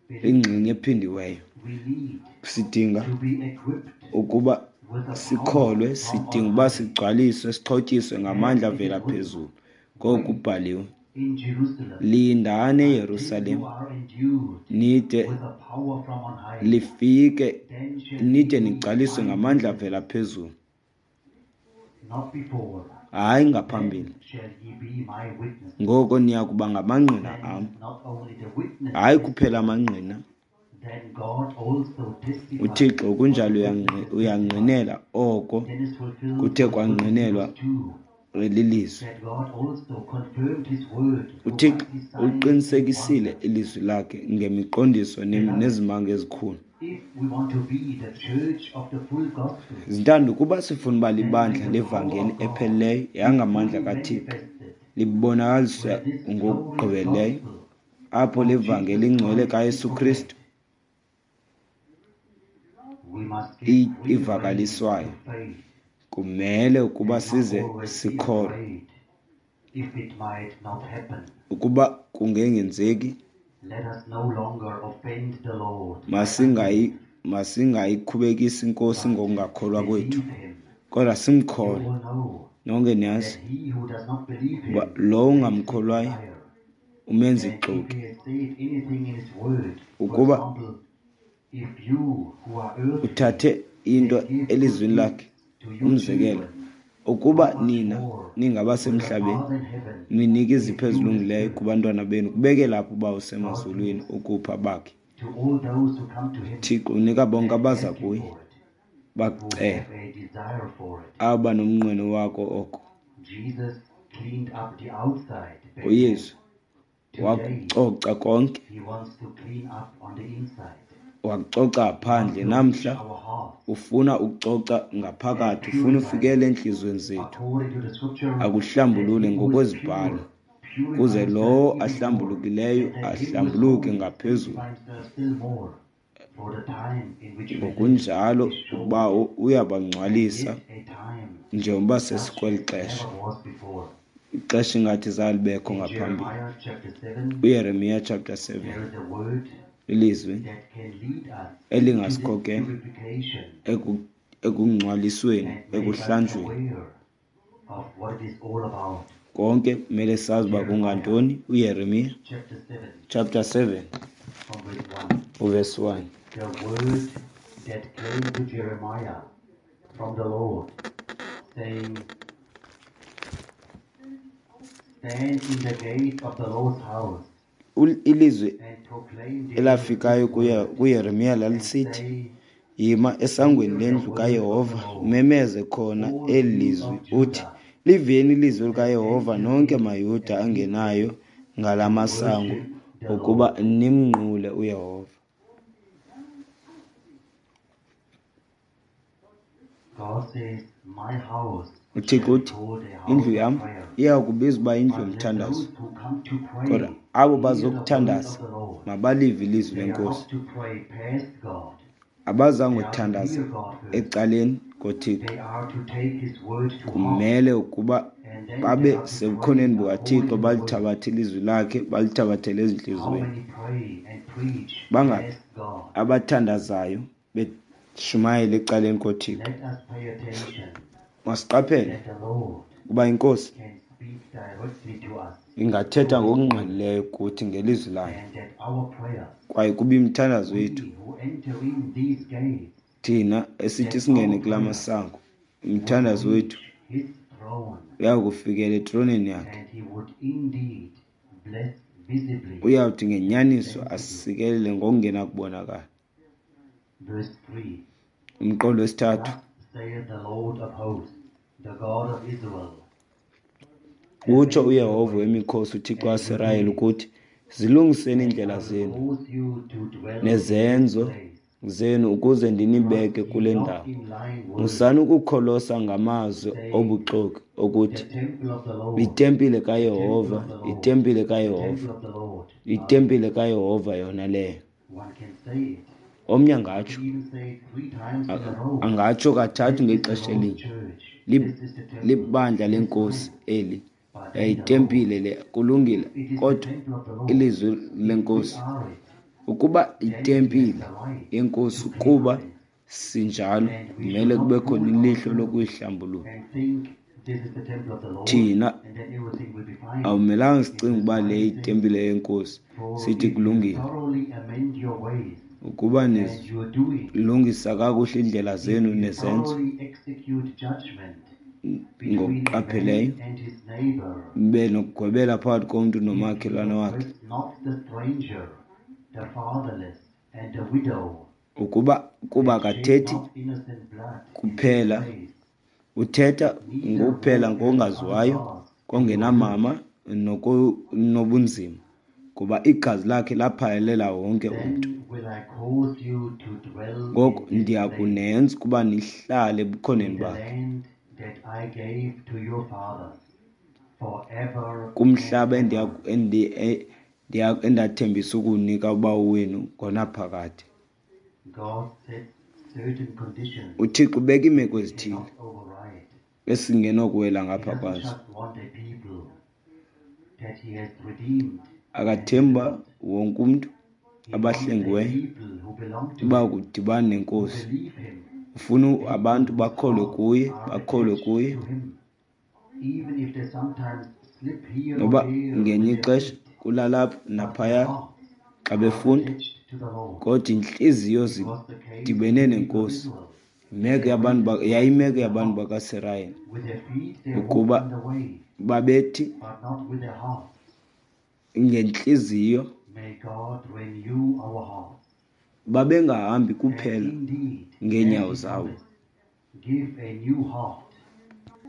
believe, ingxenye ephindiweyo. we need Sidinga to be equipped ukuba with the power sikholwe, from sidinga on uba high. sigcwaliswe, sixhotyiswe As ngamandla it is avela written, phezulu. Ngoku wait kubhaliwe, in Jerusalem lindani until eYerusalem you are endued nide with the power from on high. lifike, Then shall ye nide be nigcwaliswe my ngamandla avela witnesses, phezulu, not before. hayi Then ngaphambili. shall ye be my witnesses. Ngoko niya kuba ngamangqina Then am, not only the witness hayi kuphela testified, amangqina. then God also testified UThixo what kunjalo the uyangqi- witnesses testified. uyangqinela oko Then is fulfilled kuthe what is written in kwangqinelwa verse two, lilizwi. that God also confirmed his word through UThixo mighty signs and uliqinisekisile wonders. ilizwi lakhe ngemiqondiso nem- Beloved, nezimanga ezikhulu. if we want to be the church of the full gospel, Zintanda, ukuba sifuna uba then may libandla the power levangeli of God epheleleyo be yangamandla fully kaThixo, manifested libonakaliswa where this glorious ngokugqibeleleyo gospel apho of levangeli Jesus ingcwele Christ is kaYesu Kristu proclaimed. We must i- give free rein ivakaliswayo. to faith Kumele ukuba and not size always be sikholwe. afraid if it might not happen. Ukuba kungengenzeki, Let us no longer offend the Lord by masingayi unbelief, masingayikhubekisi iNkosi but ngokungakholwa kwethu, believe him. kodwa You simkholwe. all know Nonke niyazi that he who does not believe uba him lowo makes him a ungamkholwayo liar. umenza And if ixoki. he has said anything in his word, for Ukuba example, if you who are earthly uthathe into can give good elizwini lakhe, gifts to your umzekelo, children, how ukuba much nina more will the ningabasemhlabeni Father in heaven ninika izipho give you the ezilungileyo Spirit? kubantwana benu, kubeke lapho uba God usemazulwini gives ukupha bakhe. to all those who come to him Thixo unika bonke and abaza ask him kuye for it, who bakucela, have a desire for it. aba nomnqweno wako oko. Jesus cleaned up the outside back then. UYesu Today, wakucoca konke, he wants to clean up on the inside. wakucoca He wants phandle. to reach Namhla our hearts ufuna ukucoca and ngaphakathi, ufuna purify ufikele us entliziyweni zethu, according to the scripture that akuhlambulule he who is ngokwezibhalo, pure purify kuze himself lowo even more, ahlambulukileyo and that he who is ahlambuluke holy ngaphezulu. sanctify himself still more. For the time in which we live Ngokunjalo is short, uba and uyabangcwalisa yet a time njengoba such sesikweli as xesha, never was before. ixesha ingathi zalibekho In ngaphambili. Jeremiah chapter seven, UYeremiya chapter seven, there is a word ilizwi that can lead us into this elingasikhokhela purification eku- ekungcwalisweni, and make us ekuhlanjweni. aware of what it is all about. Konke kumele sazi uba Jeremiah kungantoni. UYeremiya chapter seven, chapter seven from verse one. uverse one. The word that came to Jeremiah from the Lord, saying, Stand in the gate of the Lord's house Ul- Ilizwi and proclaim there elafikayo this kuye word, kuYeremiya and lalisithi, say, Yima esangweni Hear the lendlu word of the kaYehova, Lord, umemeze khona all eli you lizwi, of uthi, Judah Liveni ilizwi that likaYehova enter nonke in maYuda at these angenayo gates ngala to masango worship the ukuba Lord. nimnqule uYehova. God says, My house UThixo shall be uthi, called a house indlu of yam prayer, iya kubizwa uba yindlu but let yomthandazo, those who come to kodwa pray abo hear the word bazokuthandaza of the Lord. mabalive ilizwi They are lenkosi. not to pray past God. Abazange They are to kuthandaza hear God first. ecaleni koThixo. They are to take His word to heart, Kumele ukuba and then they babe are to pray sebukhoneni according bukaThixo, to the word. balithabathe ilizwi lakhe, balithabathele How ezintliziyweni. many pray and preach Bangaphi past God? abathandazayo beshumayela ecaleni koThixo? Let us pay attention Masiqaphele that the Lord ukuba iNkosi can speak directly to us ingathetha through His word, ngokungqalileyo kuthi ngelizwi layo, and that our prayers, kwaye kuba imithandazo yethu we who enter in these gates, thina esithi that singene our kula prayers masango, would umthandazo reach wethu His throne, uya kufikela etroneni yakhe. and He would indeed bless visibly Uyawuthi and ngenyaniso sensibly. asikelele ngokungenakubonakala. Verse three. Umqolo wesithathu, Thus saith the Lord of hosts, the God of Israel, utsho Avenge your uYehova ways wemikhosi uThixo and your waSirayeli doings, ukuthi, Zilungiseni and iindlela I will zenu cause you to dwell in this nezenzo place. zenu ukuze ndinibeke Trust ye kule not ndawo. in lying words, Musani ukukholosa ngamazwi saying, obuxoki The okuthi temple of the Lord, itempile the temple kaYehova, of the Lord, itempile the kaYehova, temple of the Lord. Are itempile kaYehova yona leyo. One can say it. Omnye One angatsho, can even say it three times in a row. angatsho kathathu This is the ngexesha Lord's elinye. church. Lib- This is the temple. Libandla This lenkosi fine. eli, But then the Lord, itempile le, kulungile, if it is the kodwa temple of the Lord, ilizwi if we lenkosi are it, ukuba then he has itempile the right yenkosi to clean kuba us sinjalo, And we should kumele not kube khona fool ilihlo ourselves lokuyihlambulula. and think this is the temple of the Lord, Thina and then everything will be fine. awumelanga In sicinge verse uba le nine it says, itempile yenkosi, For sithi if you kulungile. thoroughly amend your ways Ukuba and your doing, nilungisa kakuhle iindlela if zenu you nezenzo thoroughly execute judgment between a man ngokuqapheleyo, and his neighbor, nibe nokugwebela phakathi komntu if you nomakhelwane wakhe, oppress not the stranger, the fatherless, and the widow, ukuba kuba and shed akathethi not innocent blood in this kuphela, place, uthetha neither ngokuphela walk after other ngongaziwayo, gods in your youth, kongenamama nobunzima, kuba igazi lakhe laphalela wonke umntu. then will I cause you to dwell Ngoko in this ndiya place, kunenza ukuba nihlale in ebukhoneni the bakhe, land that I gave to your fathers, forever and kumhlaba endiya ever. endi- e- ndiya- endathembisa ukuwunika ubawo wenu ngonaphakade. God sets certain conditions uThixo ubeka iimeko we ezithile cannot override. esingenokuwela He ngapha doesn't kwazo. just want a people that he has redeemed and Akathembi uba delivered. wonke umntu He wants a abahlengiweyo people who belong to uba him, kudibana who nenkosi. believe him, Ufuna people abantu whose bakholwe hearts kuye, are bakholwe attached kuye, to him, even if they sometimes slip here or noba there with ngenye their ixesha feet, kulalapha but their naphaya hearts xa are befunda, attached to the Lord. kodwa iintliziyo It was the case with zidibene the people of nenkosi. Israel. Imeko They yabantu waited ba- yayimeko with their yabantu hearts. bakaSirayeli With their feet they walked ukuba on the way, babethi but not with their hearts. ngentliziyo May God renew our hearts. babengahambi And kuphela indeed, as ngeenyawo he zabo. promised, give a new heart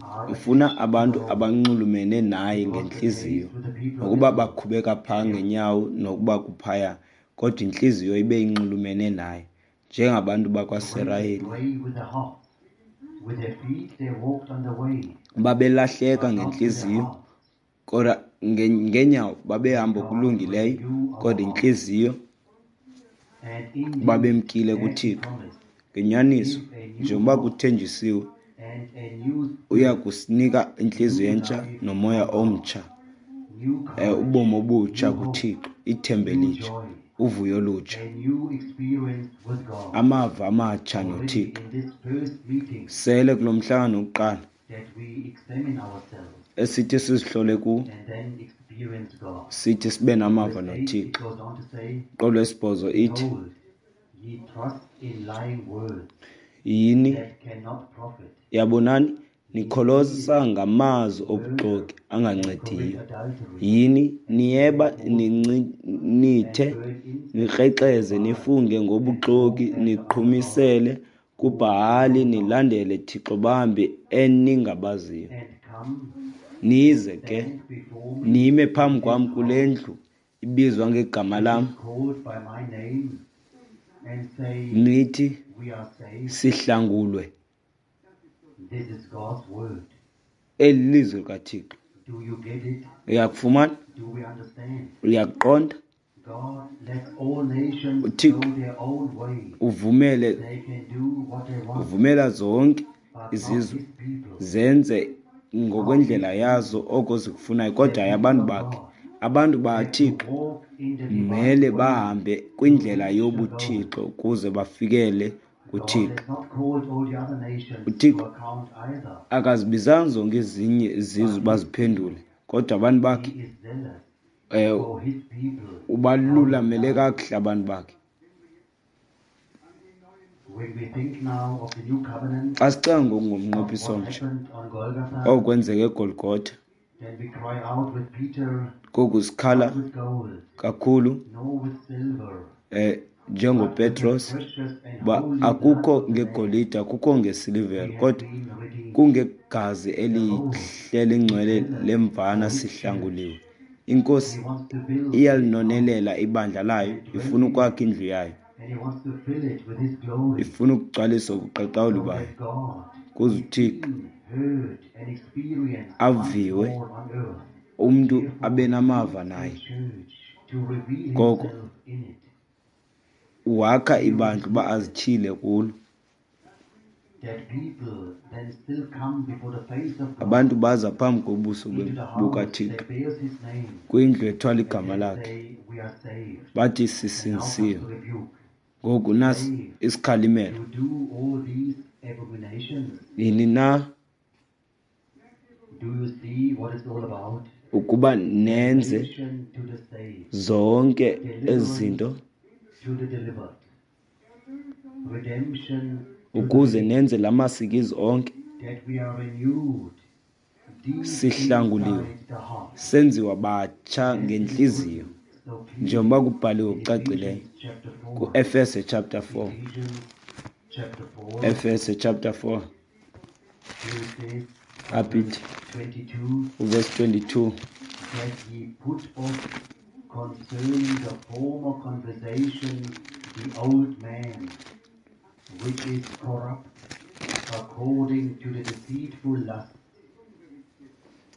are Ufuna attached to the abantu Lord. abanxulumene naye It was the ngentliziyo, case with the people of nokuba Israel. bakhubeka phaa They ngeenyawo nokuba kuphaya, kodwa intliziyo ibe inxulumene naye njengabantu went bakwaSirayeli. astray with their hearts. With their feet they walked on the way, Babelahleka but not with their ngentliziyo, hearts. kodwa nge- ngeenyawo May babehamba God okulungileyo, renew our kodwa hearts. intliziyo And indeed, babemkile as he kuThixo. promised, Ngenyaniso, give a new njengoba heart kuthenjisiwe, and a new uya spirit, kusinika intliziyo new entsha life nomoya from God, omtsha, new eh, courage, ubomi obutsha new hope, kuThixo, ithemba new elitsha, joy, uvuyo olutsha, a new experience with God. amava amatsha Already noThixo. in this first meeting Sele kulo mhlangano wokuqala that we examine ourselves esithi sizihlole kuwo, and then experience God. sithi sibe In namava verse eight, it noThixo. goes on to say, Qolo wesibhozo ithi, Behold, ye trust in lying words yini that cannot profit. yabonani Ye nikholosa steal, ngamazwi murder, obuxoki and commit angancediyo. adultery, Yini and niyeba swear falsely, nincinithe and burn incense to nikrexeze Baal, nifunge and ngobuxoki walk after other gods niqhumisele whom ye kuBhahali know not, nilandele thixo bambi eningabaziyo. and come and Nize ke stand before me nime in phambi this kwam kule house ndlu ibizwa ngegama which lam, is called by my name, and say, nithi We are saved. sihlangulwe. This is God's word. Eli lizwi likaThixo. Do you get it? Uyakufumana? Do we understand? Uyakuqonda? God lets all nations go uThixo their own way. uvumele They can do what they want, uvumela zonke but not izizwe his people. zenze Not his ngokwendlela yazo people. oko zikufunayo, The kodwa hayi people abantu of bakhe. God Abantu have to bakaThixo walk in the divine mele way bahambe to kwindlela reach the goal. yobuThixo ukuze bafikele God kuThixo. has not called all the other nations to uThixo account either, akazibizanga zonke ezinye izizwe but his baziphendule, people. kodwa abantu bakhe He is zealous eh, for his people how they ubalulamele die. kakuhle abantu bakhe. When we think now of the new covenant, Xa sicinga ngoku of ngomnqophiso what omtsha, happened on Golgotha, okwenzeka eGolgotha, then we cry out with Peter, koku sikhala not with gold, kakhulu nor with silver, eh but with the njengoPetros precious and uba holy blood akukho of the Lamb, ngegolide, akukho we ngesilivere, have kodwa been redeemed. kungegazi The Lord elihle is lingcwele zealous lemvana for his church. sihlanguliwe. Inkosi He wants to build his house, iyalinonelela ibandla layo, and ifuna when he ukwakha indlu yayo, and he wants to fill it with his glory, ifuna ukugcwalisa ubuqaqawuli so bayo, that God kuze is uThixo seen, heard, and experienced once aviwe, more on earth. umntu Therefore, abe he namava builds the naye. church to reveal Ngoko himself in it. wakha He ibandla uba insisted azithile kulo. that people then still come before the face of God Abantu baza phambi kobuso into be- the house bukaThixo that bears his name kwindlu ethwala and igama then lakhe, say, We are saved. bathi And now comes sisindisiwe. the rebuke. Ngoku nasi Saved, isikhalimelo. you do all these abominations. Nini na Do you see what it's all about? ukuba nenze Salvation to the saved, zonke ezi deliverance zinto to the delivered, redemption to the ukuze redeemed, nenze la masikizi onke? that we are renewed deep Sihlanguliwe, inside the heart, senziwa batsha as it is ngentliziyo, written so clearly njengoba kubhaliwe in ngokucacileyo Ephesians chapter four. kuEfese chapter four. Ephesians chapter four, Efese chapter four, here it says from apha verse ithi twenty-two, uvesi twenty-two, that ye put off concerning the former conversation the old man, which is corrupt according to the deceitful lust,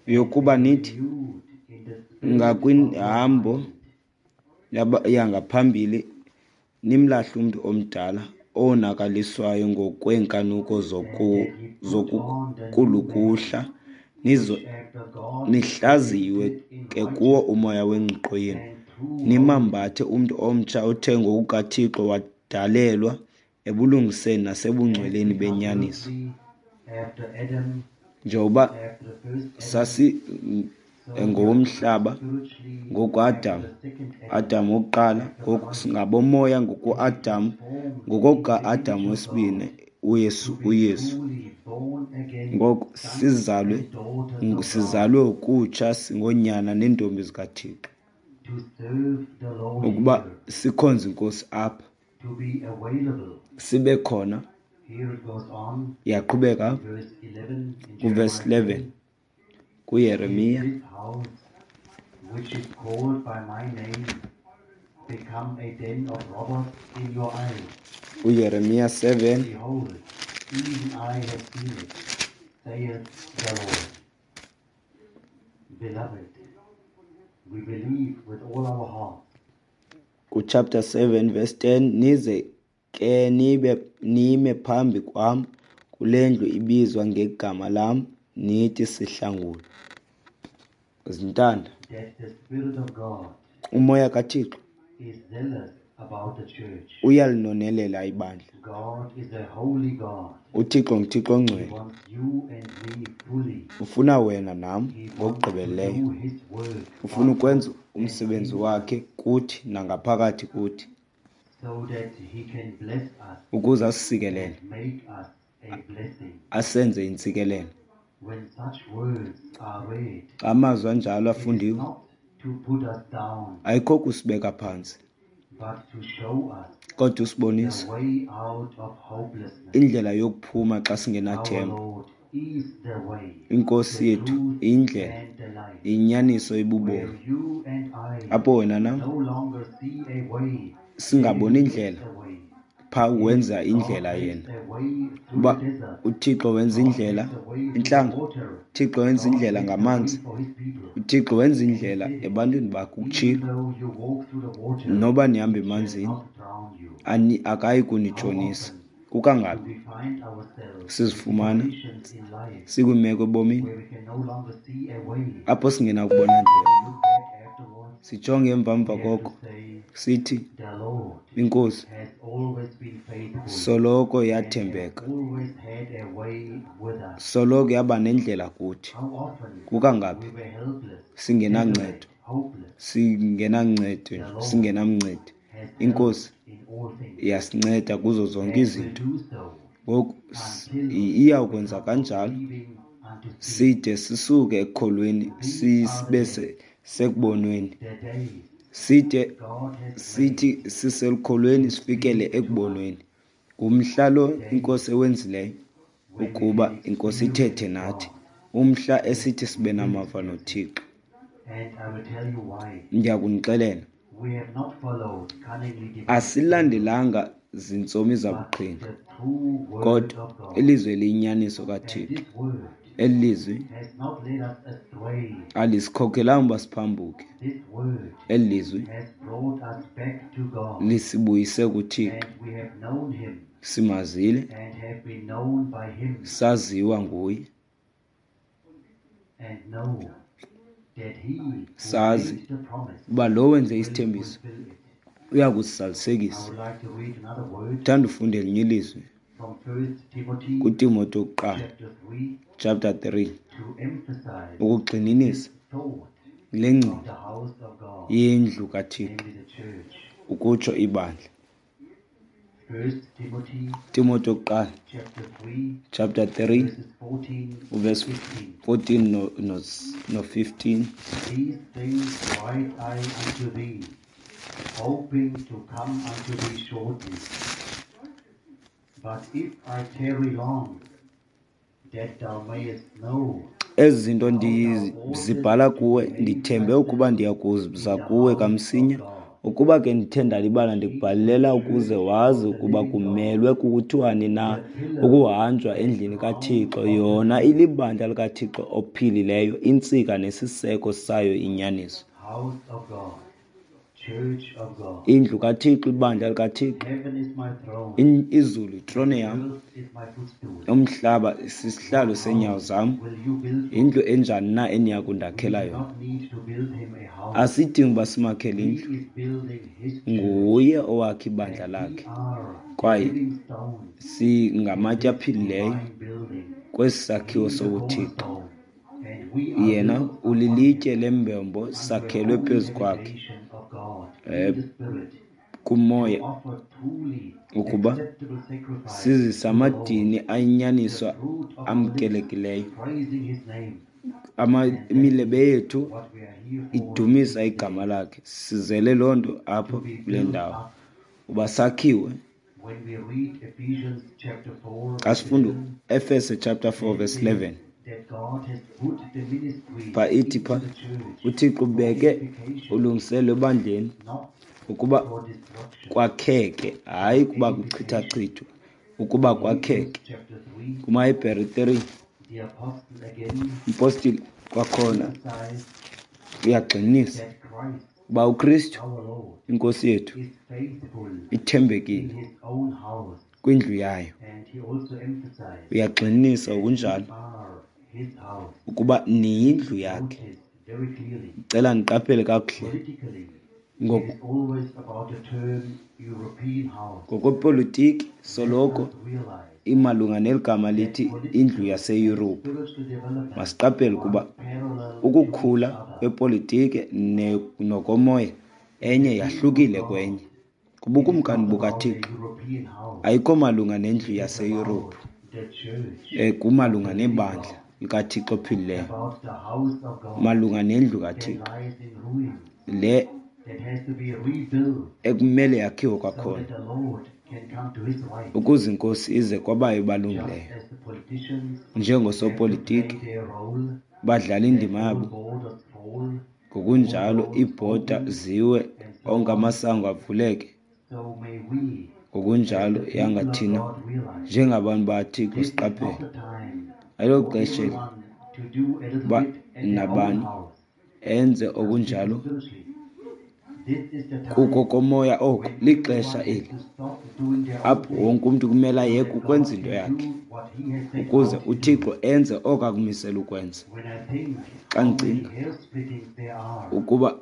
and yokuba be nithi renewed in the spirit of your ngakwinhambo mind, yaba- yangaphambili nimlahle umntu omdala owonakaliswayo ngokweenkanuko and zoku that ye put on the new man, zokukulukuhla, nizo which after God is nihlaziyiwe created in ke kuwo righteousness umoya wengqiqo yenu, and true holiness. nimambathe umntu omtsha othe ngokukaThixo wadalelwa ebulungiseni As nasebungcweleni we are benyaniso. earthly after Adam, Njengoba after the first Adam, sasi so we are ngowomhlaba spiritually after ngokuAdam, the second Adam, Adam wokuqala, after ngoku Christ, singabomoya and be ngokuAdam, transformed into the ngokokuka-Adam image of wesibini, God, uYesu to be uYesu. truly born again Ngoku sons sizalwe and daughters of God, sizalwe ukutsha singoonyana neentombi zikaThixo, to serve the Lord ukuba here, sikhonze iNkosi apha, to be available. sibe khona. Here it goes on Iyaqhubeka in verse eleven in kuvesi Jeremiah eleven ten. Is kuYeremiya, this house, which is called by my name, become a den of robbers in your eyes? uYeremiya seven, Behold, even I have seen it, saith the Lord. Beloved, we believe with all our hearts kuchapter seven verse ten, nize ke nibe nime phambi kwam kule ndlu ibizwa ngegama lam, nithi sihlangule. Zintanda, that the Spirit of God umoya kaThixo is zealous about the church. uyalinonelela ibandla. God is a holy God. UThixo nguThixo He ongcwele, wants you and me fully. ufuna wena nam He wants to ngokugqibeleleyo, do his work ufuna on ukwenza us and umsebenzi in us wakhe kuthi nangaphakathi kuthi, so that he can bless us ukuze asisikelele, and make us a blessing. asenze intsikelelo. When such words are read, Xa amazwi anjalo it is afundiwe, not to put us down, ayikho kusibeka phantsi, but to show us kodwa the usibonisa way out of hopelessness. indlela yokuphuma xa Our singenathemba. Lord is the way, Inkosi the yethu truth, iyindlela, and the life. iyinyaniso Where ibubomi, you and I apho wena nam no longer see a way, there singaboni he makes indlela, a way. phaa Yes, wenza God indlela makes yena. a way through Uba the desert. uThixo wenza God indlela makes a way through the intlango, water. uThixo wenza God indlela makes a way ngamanzi, for his people. uThixo wenza And he indlela said, ebantwini bakhe. even Ukutshilo, though you walk through the water, noba nihamba it shall emanzini, not drown you. ani akayi How kunitshonisa. often do Kukangaphi we find ourselves in sizifumana situations in life sikwiimeko ebomini where we can no longer see a way? apho singenakubona When ndlela, we look back afterwards, sijonge emva mva we have to koko say, sithi the Lord iNkosi has always been faithful soloko and has yathembeka, always had a way with us. soloko yaba nendlela kuthi. How often Kukangaphi we were helpless, singenancedo, desolate, hopeless. singenancedo The nje, Lord singenamncedi. has helped INkosi in all things iyasinceda kuzo zonke and will izinto. do so Ngoku s- until i- we iyawukwenza come from kanjalo believing unto seeing. side sisuke ekukholweni These are the sibe days, se- sekubonweni, the days side God has made sithi siselukholweni to sifikele speak to us, ekubonweni. Ngumhla lo days iNkosi ewenzileyo when we ukuba can iNkosi ithethe experience nathi, God. umhla Yes, esithi we sibe will namava experience Him noThixo. And I will tell you why. Ndiyakunixelela. We have not followed cunningly devised Asilandelanga zintsomi but zabuqhinga, the true word kodwa of God. ilizwi eliyinyaniso And kaThixo. this word Eli lizwi has not led us astray. alisikhokelanga uba siphambuke. This word Eli lizwi has brought us back to God. lisibuyise kuThixo. And we have known him Simazile, and have been known by him, saziwa nguye, and know that he who Sazi made the promise uba lo wenze will isithembiso fulfill it. uya I kusizalisekisa. would like to read another word Thanda ufunda elinye ilizwi from First Timothy kuTimothy wokuqala chapter three chapter three to emphasize ukugxininisa this thought le of ngcinga the house of God, yendlu kaThixo, namely the church. ukutsho ibandla. First Timothy Timothy wokuqala chapter three chapter three verses fourteen uverse fifteen. fourteen no, no, no fifteen. These things write I unto thee, hoping to come unto thee shortly. But if I tarry long, that thou mayest know Ezi zinto ndizibhala kuwe, ndithembe ukuba ndiya kuza kuwe kamsinya. Ukuba ke ndithe ndalibala, ndikubhalela ukuze wazi ukuba kumelwe kuthiwani na ukuhanjwa endlini kaThixo, yona ilibandla likaThixo ophilileyo, intsika nesiseko sayo inyaniso. House of God, church of God. Indlu kaThixo, ibandla likaThixo. Heaven is my throne, In- Izulu itrone yam, earth is my footstool. umhlaba sisihlalo seenyawo zam. Will you build for Yindlu enjani na eniya We kundakhela do yona? not need to build him a house. Asidingi uba simakhele He indlu. is building his church. Nguye owakha ibandla And we lakhe, are the kwaye living stones singamatye in this aphilileyo divine building. kwesi He sakhiwo is the sobuThixo. cornerstone, and we are Yena built upon ulilitye him lembombo, unto a sakhelwe holy phezu kwakhe habitation of God eh, in the Spirit, to kumoya, offer truly ukuba acceptable sacrifice sizise to the Lord, amadini the ayinyaniso fruit of our lips, amkelekileyo. praising his name. Ama- And that Imilebe is yethu what we are here for idumisa this igama day, lakhe. Sizele loo nto apha to be kule built ndawo, up. uba sakhiwe. When we read Ephesians chapter four, Xa verse sifunda eleven, Efese chapter four it verse says eleven, that God has put the ministry pha ithi into pha the church uThixo for ubeke edification, ulungiselelo ebandleni not ukuba for destruction, kwakheke, hayi for kuba edification. kuchithachithwe, ukuba In Hebrews kwakheke. chapter three, KumaHebhere three, the apostle again umpostile kwakhona emphasized uyagxininisa that Christ, uba uKristu our Lord, inkosi yethu is faithful in ithembekile his own house. kwindlu yayo. And he also emphasized Uyagxininisa that we ngokunjalo are his house. ukuba niyindlu yakhe. Notice very clearly, Ndicela niqaphele kakuhle. politically, it Ngoku is always about the term European house. Ngokwepolitiki Let soloko us realize imalunga neli gama that lithi indlu political and yaseYurophu. spiritual development Masiqaphele ukuba runs parallel to each ukukhula other. kwepolitiki ne- nokomoya In enye the kingdom of yahlukile God, kwenye. it is Kubukumkani not about a bukaThixo European house. ayikho malunga nendlu It is yaseYurophu, about the church um of kumalunga the living nebandla God, likaThixo ophilileyo, about the house of God malunga nendlu that kaThixo lies in ruins, le that has to be rebuilt ekumele yakhiwe so kwakhona that the Lord can come to his right. ukuze inkosi ize kwabayo Just balungileyo. as the politicians have to play Njengosopolitiki their role, badlala that indima all yabo, borders fall, all ngokunjalo doors iibhoda open, ziwe, and so onke on, amasango avuleke. so may we, as Ngokunjalo the people yanga of thina God, realize njengabantu bakaThixo this is not siqaphele the time ayilo for xesha eli everyone to do a little uba bit at their own nabani house. enze I'm speaking okunjalo spiritually. This is the kuko time komoya oko. when Lixesha everyone has eli to stop doing their own apho thing wonke umntu kumele so ayeke that ukwenza God into can yakhe do what he has set ukuze out to do. uThixo enze oko akumisela ukwenza. When I think Xa how many ndicinga hair splittings there are, ukuba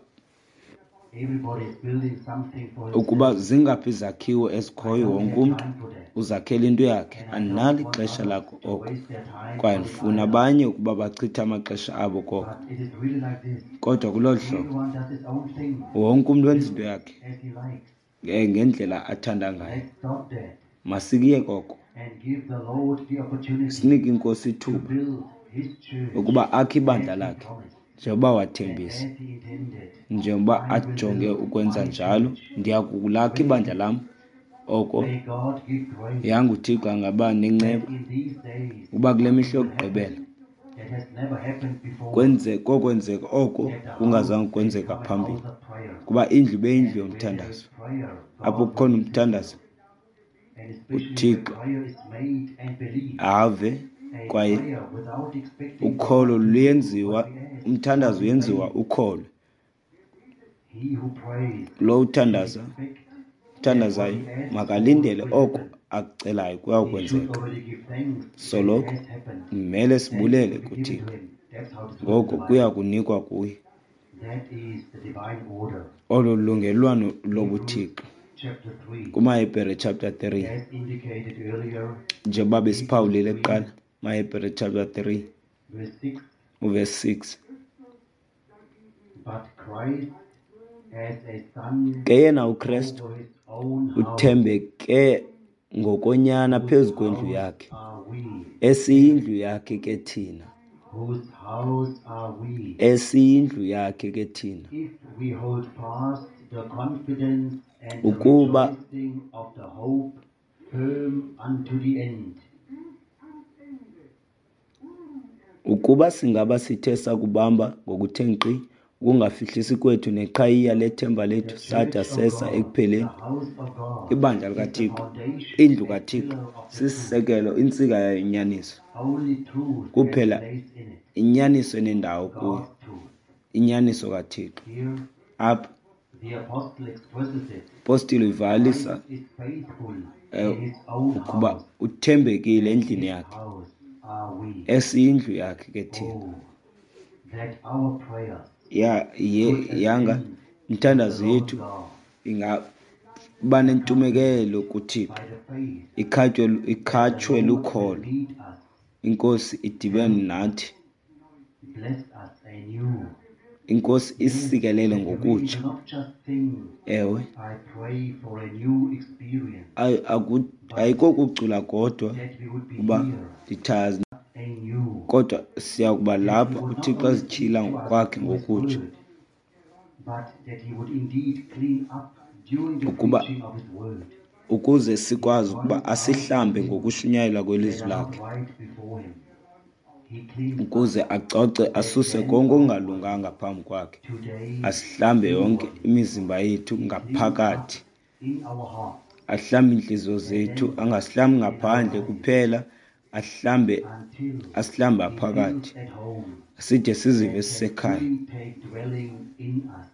everybody is building something for ukuba himself. zingaphi izakhiwo I ezikhoyo, don't wonke have umntu time for that. uzakhela into yakhe. And I don't Andinalo want ixesha others lako to oko, waste their time kwaye on it ndifuna either. abanye ukuba bachithe amaxesha abo koko. But it is really like this. Kodwa kulolu hlobo Everyone does his own thing, wonke umntu wenza into builds yakhe as he likes. eh, ngendlela athanda ngayo. Let's stop that Masikuyeke oko, and give the Lord the opportunity sinike inkosi to ithuba build his church ukuba akhe ibandla as he lakhe promised njengoba and wathembisa, as he intended. njengoba I will ajonge build ukwenza my njalo. church. Ndiya kulakha ibandla lam. Oko May God give grace yanga uThixo angaba that nenceba in these days ukuba kule something mihla will yokugqibela happen that Kwenze kokwenzeka oko kungazange kwenzeka phambili, kuba indlu ibe yindlu yomthandazo. Apho kukhona umthandazo, uThixo ave, kwaye ukholo luyenziwa, umthandazo uyenziwa ukholwe. Lo uthandaza uthandazayo makalindele oko akucelayo kuyawukwenzeka. Soloko kumele sibulele kuThixo, ngoko kuya kunikwa kuye. Olo lungelwano lobuThixo. KumaHebhere chapter three, njengoba besiphawulile kuqala, MaHebhere chapter three uverse six. Ke yena uKrestu uthembeke ngokonyana phezu kwendlu yakhe, esiyindlu yakhe ke thina, esiyindlu yakhe ke thina, ukuba ukuba singaba sithe sakubamba ngokuthe nkqi ukungafihlisi kwethu neqhayiya lethemba lethu sada sesa ekupheleni. Ibandla likaThixo, indlu kaThixo, sisisekelo, intsika yayo inyaniso. Kuphela inyaniso enendawo kuyo, inyaniso kaThixo. Apha Apostile uyivakalisa ukuba uthembekile endlini yakhe, esiyindlu yakhe ke thina. Ya ye yanga imithandazo yethu ingaba nentumekelo kuThixo, ikhatywe ikhatshwe lukholo, iNkosi idibene nathi, iNkosi isikelele ngokutsha. Ewe, ayikokucula kodwa uba ndithazi, kodwa siya kuba lapha uThixo azityhila ngokwakhe ngokutsha, ukuba ukuze sikwazi ukuba asihlambe ngokushunyayelwa kwelizwi lakhe, ukuze acoce asuse konke okungalunganga phambi kwakhe, asihlambe yonke imizimba yethu ngaphakathi, ahlambe iintliziyo zethu, angasihlambi ngaphandle kuphela, ahlambe asihlambe phakathi, side sizive sisekhaya,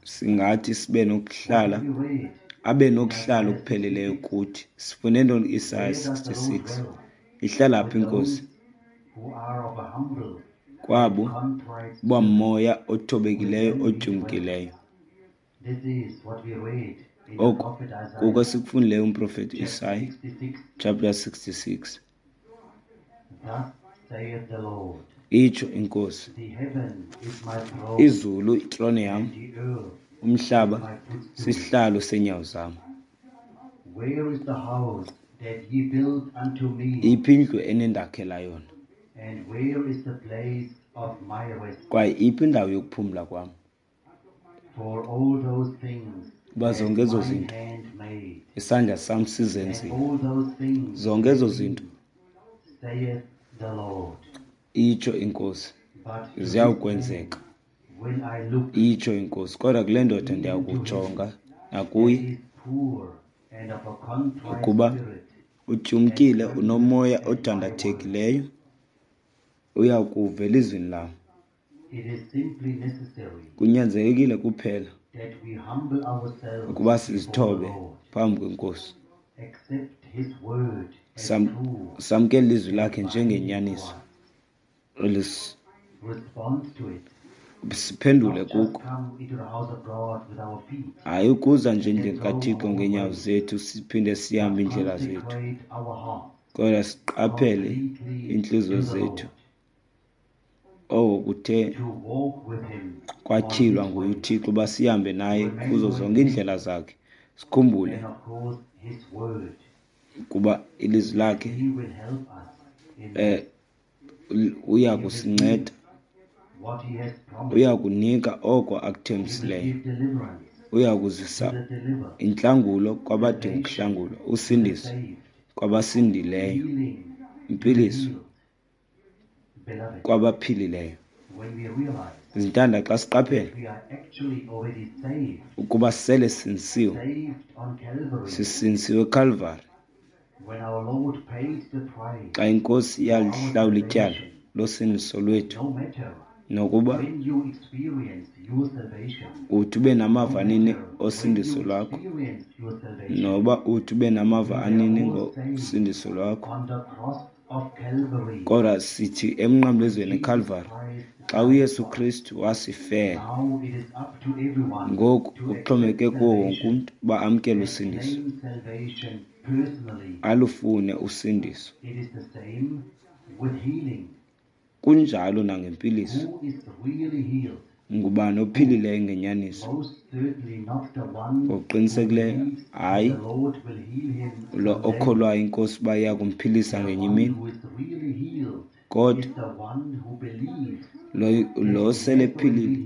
singathi sibe nokuhlala, abe nokuhlala okupheleleyo kuthi. Sifunde ntoni Isaya sixty-six? Ihlala phi iNkosi? Kwabo bamoya othobekileyo otyumkileyo. Oko kuko esikufundileyo umprofeti Isaya chapter sixty-six. Itsho iNkosi, izulu itrone yam, umhlaba sisihlalo seenyawo zam. Iphi indlu enindakhela yona? Kwaye iphi indawo yokuphumla kwam? Kuba zonke ezo zinto isandla sam sizenzile, zonke ezo zinto, itsho iNkosi, ziyawukwenzeka, itsho iNkosi. Kodwa kule ndoda ndiyakujonga nakuye, ukuba utyumkile, unomoya odandathekileyo, uya kuva elizwini lam. Kunyanzelekile kuphela ukuba sizithobe phambi kweNkosi, samkele ilizwi lakhe njengenyaniso, siphendule kuko. Hayi ukuza nje endlini kaThixo ngeenyawo zethu siphinde sihambe iindlela zethu, kodwa siqaphele iintliziyo zethu oko kuthe kwatyhilwa nguye uThixo uba sihambe naye kuzo zonke iindlela zakhe, sikhumbule ukuba ilizwi lakhe eh uya kusinceda, uya kunika oko akuthembisileyo, uya kuzisa intlangulo kwabadinga ukuhlangulwa, usindiso kwabasindileyo, impiliso Kwabaphilileyo. Zintanda, xa siqaphela ukuba sele sindisiwe, sisindisiwe eKalvari xa iNkosi yalihlawula ityala losindiso lwethu. Nokuba uthi ube namava nini osindiso lwakho, noba uthi ube namava anini ngosindiso lwakho, kodwa sithi emnqamlezweni eKalvari xa uYesu Kristu wasifela. Ngoku kuxhomekeke kuwo wonke umntu uba amkele usindiso, alufune usindiso. Kunjalo nangempiliso. Ngubani ophilileyo ngenyaniso? Ngokuqinisekileyo hayi lo okholwayo iNkosi uba iya kumphilisa ngenye imini, kodwa lo, lo sele ephilile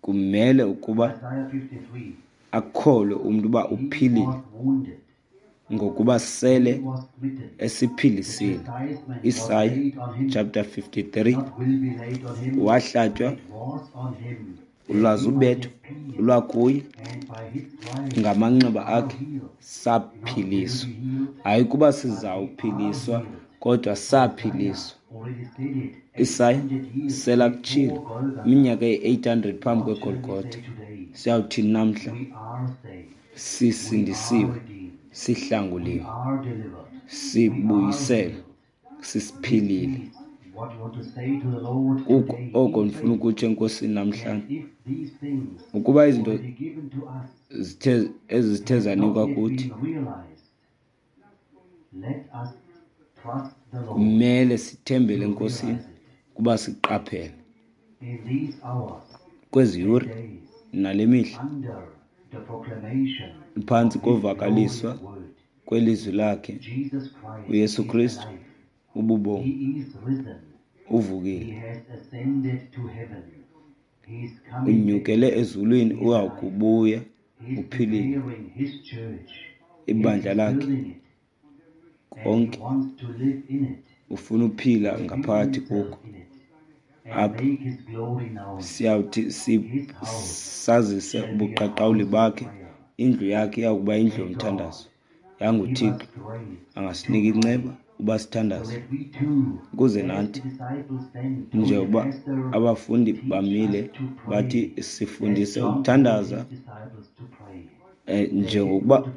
kumele ukuba akholwe umntu uba uphilile ngokuba sele esiphilisile. Isaya chapter fifty-three, wahlatywa lwaze ubetho lwakuye, ngamanxeba akhe saphiliswa. Hayi kuba sizawuphiliswa, kodwa saphiliswa. Isaya selakutshilo iminyaka eyi-eight hundred phambi kweGolgotha. Siyawuthini namhla? Sisindisiwe, sihlanguliwe, sibuyiselwe, sisiphilile. Kuko oko ndifuna ukutsho eNkosini namhlanje, ukuba izinto zithe ezithe zanikwa kuthi, kumele sithembele eNkosini kuba siqaphele kwezi yure nale mihla phantsi kovakaliswa kwelizwi lakhe uYesu Kristu ububomi uvukile, unyukele ezulwini, uyakubuya uphilile. Ibandla lakhe konke ufuna uphila ngaphakathi kuko. Apha siyawuthi sazise ubuqaqawuli bakhe. Indlu yakhe iyakuba indlu yomthandazo. YanguThixo angasinika inceba uba sithandaze, ukuze nathi njengoba abafundi bamile bathi sifundise ukuthandaza, eh, njengokuba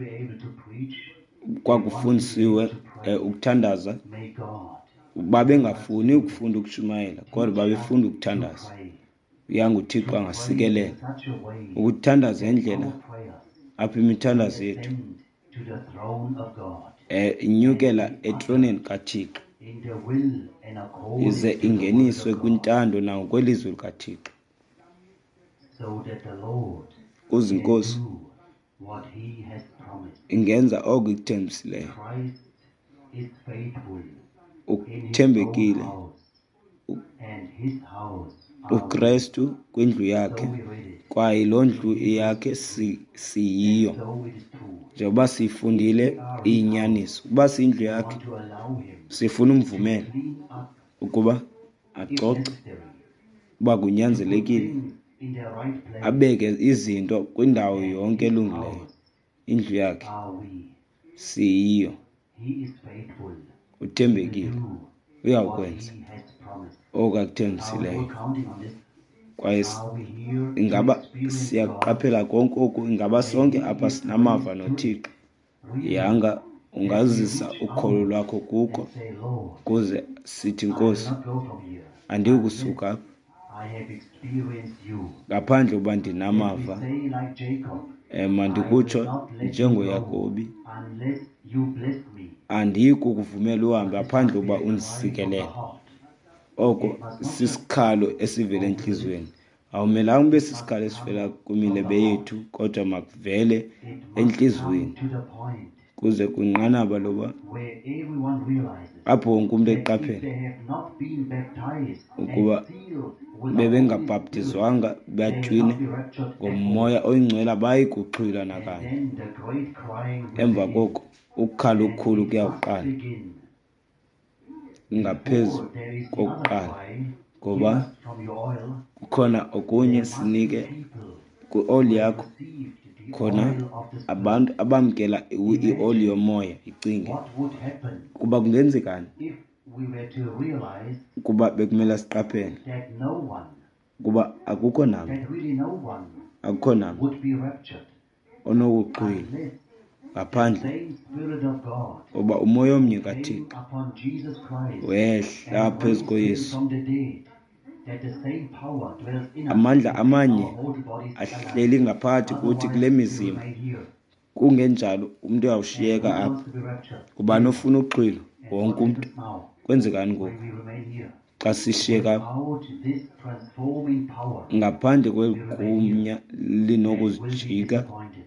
kwakufundisiwe eh, ukuthandaza. Babengafuni ukufunda ukushumayela, kodwa babefunda ukuthandaza. UyanguThixo angasikelela ukuthandaza indlela apho imithandazo yethu eh inyukela etroneni kaThixo, ize ingeniswe kwintando nangokwelizwi likaThixo, kuze iNkosi ingenza oko ikuthembisileyo. Uthembekile uKristu kwindlu yakhe, kwaye loo ndlu yakhe siyiyo. Njengoba siyifundile iyinyaniso, ukuba siyindlu yakhe sifuna umvumela ukuba acoce, uba kunyanzelekile abeke izinto kwindawo yonke elungileyo. Indlu yakhe siyiyo. Uthembekile, uyawukwenza oko akuthembisileyo. Kwaye ingaba siyaqaphela konke oku? Ingaba sonke apha sinamava noThixo? Yanga ungazisa ukholo lwakho kuko, ukuze sithi, Nkosi, andiyikusuka apha ngaphandle uba ndinamava. Um mandikutsho njengoYakobi, andiyi kukuvumela uhambe ngaphandle uba undisikelele. Oko sisikhalo esivela entliziyweni. Awumelanga ube sisikhalo esivela kwimilebe yethu, kodwa makuvele entliziyweni, kuze kwinqanaba loba apho wonke umntu eqaphela ukuba bebengabhaptizwanga batywine ngoMoya oyiNgcwele, abayi kuxhwilwa nakanye. Emva koko ukukhala okukhulu kuyawuqala. Ngaphezu Before there is the other kokuqala, cry, give ngoba us from your oil, kukhona okunye, there must be sinike people kwioli who have yakho, received the khona oil of the Spirit. abantu abamkela i- ioli yomoya. Icinge What would happen ukuba kungenzekani if we were to realize ukuba bekumele siqaphele that no one, ukuba akukho namnye, that really no one akukho namnye would be raptured onokuxhwila unless the ngaphandle same Spirit of God uba umoya omnye came kaThixo upon Jesus Christ wehla and phezu raised him koYesu. from the dead, that the same power dwells in us Amandla to make amanye our mortal bodies alive. ahleli ngaphakathi kuthi kule Otherwise, we mizimba. remain here. Kungenjalo umntu And uyawushiyeka who apha. wants to be raptured? Ngubani ofuna uxhwilo? And Wonke what umntu. happens now Kwenzekani ngoku when we remain here? xa sishiyeka apha? Without this transforming power, Ngaphandle we remain here kwegunya and will be linokuzijika, disappointed.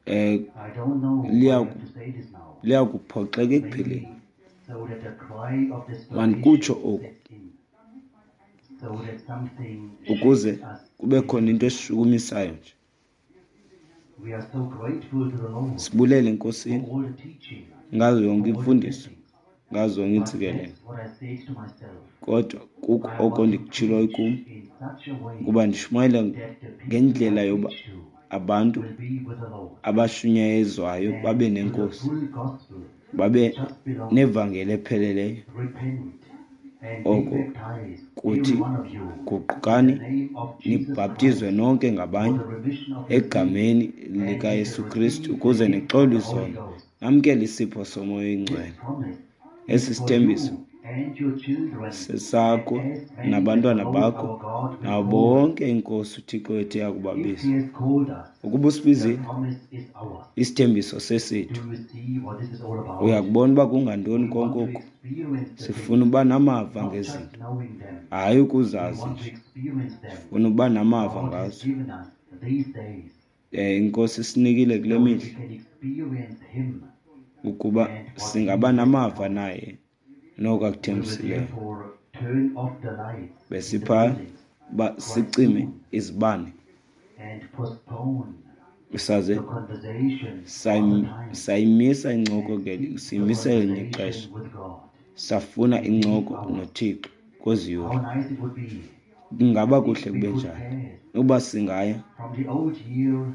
eh I don't know why I liya have to say this now. liya kuphoxeka ekupheleni. Maybe so that the cry of Mandikutsho desperation oku sets in, so that something ukuze shakes us kube khona a into little. esishukumisayo nje. We are so grateful to the Lord Sibulele for eNkosini all the teaching, ngazo yonke for all the imfundiso, blessings. ngazo zonke But iintsikelelo. that's what I said to myself. Kodwa kukho I oko want to ndikutshiloyo preach kum, in such a way ukuba ndishumayele that the people ngendlela I yoba preach to abantu will be with the Lord abashunyayezwayo babe and to the nenkosi, full gospel babe just belong. nevangeli epheleleyo. Repent and be Oko baptized, kuthi every one of you, in the guqukani name of Jesus nibhaptizwe Christ nonke for ngabanye the remission of your sins, egameni and you shall likaYesu Kristu receive the ukuze gift of nixolwe the Holy izono, Ghost. namkele isipho somoya This oyingcwele. promise Esi is for sithembiso you and your children, and sesakho as many as the nabantwana Lord bakho our God will nabo call. bonke iNkosi uThixo wethu If eyakubabiza. He has called us, Ukuba the usibizile, promise is ours. isithembiso Do sesethu. you see what this is all about? Uyakubona uba kungantoni We konke want to oku? experience the Sifuna things, uba namava not just ngezinto, knowing them. hayi We ukuzazi want to nje. experience them. Sifuna uba namava God has ngazo. given us these days Eh iNkosi isinikile kule so that we mihla can experience Him ukuba and what He singaba has namava promised. naye noko We will akuthembisileyo. therefore turn off the lights in the Besipha buildings uba quite sicime soon izibane and postpone saze the conversation for sayim- other times sayimisa incoko and ngeli seek the siyimise elinye ixesha conversation with God safuna in these incoko hours. noThixo kwezi How yure. nice it would be Kungaba if kuhle we kube could njani pass uba singaya from the old year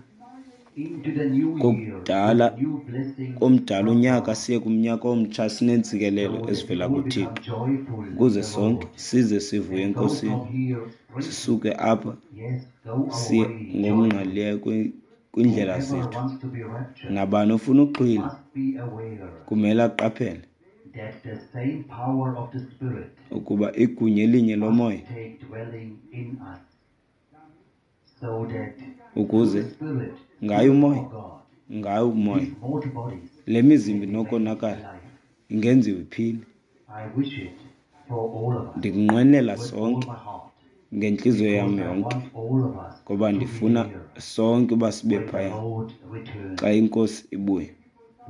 into the new year kokudala with new blessings komdala from unyaka God, siye kumnyaka omtsha sineentsikelelo so that we ezivela all kuThixo, become joyful in ukuze the sonke Lord size sivuye and go eNkosini, from here strengthened. sisuke apha Yes, go our siye way joyful. ngokungqalileyo kwi- kwiindlela Whoever zethu. wants to be raptured Nabani ofuna uxhwila must be aware kumele aqaphele that the same power of the Spirit ukuba igunya elinye must lomoya take dwelling in us, so that through ukuze the Spirit, ngayo gift umoya, of God, ngayo umoya these mortal bodies le mizimba can be made inokonakala alive. ingenziwa iphile. I wish it for all of us Ndikunqwenela with all sonke my heart, ngentliziyo yam because I yonke, want all of us ngoba to be ndifuna there sonke uba sibe when the phaya Lord returns. xa iNkosi ibuya.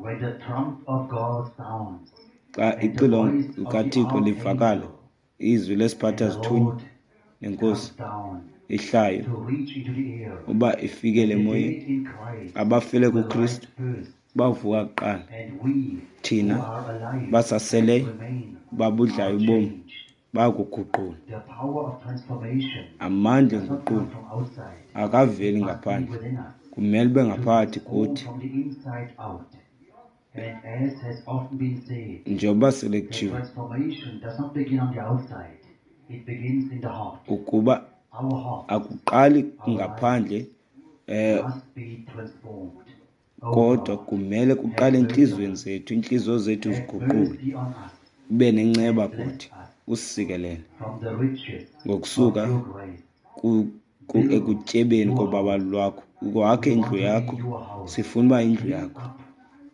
When the trump of God sounds Xa and the ixilongo voice of the likaThixo livakala, archangel izwi and lesiphatha the zithunywa Lord nenkosi comes down ihlayo to reach into the air, uba ifikele the emoyeni, dead in Christ abafele will rise kuKristu first, bavuka kuqala. and we who Thina are alive and basaseleyo remain babudlayo are ubomi changed. bayakuguqulwa. The power of transformation Amandla does not come enguqulo from outside, akaveli it must be ngaphandle, within us, kumele ube to ngaphakathi transform kuthi. from the inside out. And as has often been said, Njengoba sele the kutshiwo transformation does not begin on the outside, it begins in the heart. ukuba Our hearts, akuqali our lives ngaphandle eh must be transformed. O kodwa God, kumele have kuqale mercy on entliziyweni us. zethu, iintliziyo zethu Have ziguqulwe, mercy on us ube nenceba and bless kuthi, us usikelele from the riches of ngokusuka your grace. ku, ku, Build ekutyebeni your kobabalo house. lwakho, wakhe We indlu want to be yakho. your house. Sifuna uba indlu Clean yakho. up,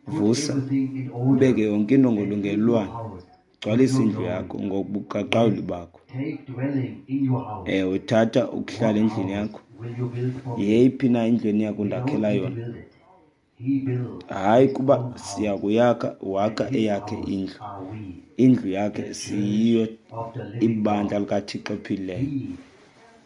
put Vusa, everything in ubeke order, yonke into and fill your ngolungelelwano, house with gcwalisa your indlu glory. yakho ngobuqaqawuli Yes, bakho. take dwelling in your house. Ewe, thatha ukuhlala What endlini house yakho. will you build for me? Yeyiphi na indlu eniya We don't kundakhela need to yona? build it. He built Hayi his kuba own house, siya kuyakha, and wakha his eyakhe house indlu. are we, Indlu yakhe the church siyiyo of the living ibandla God. likaThixo ophilileyo. He,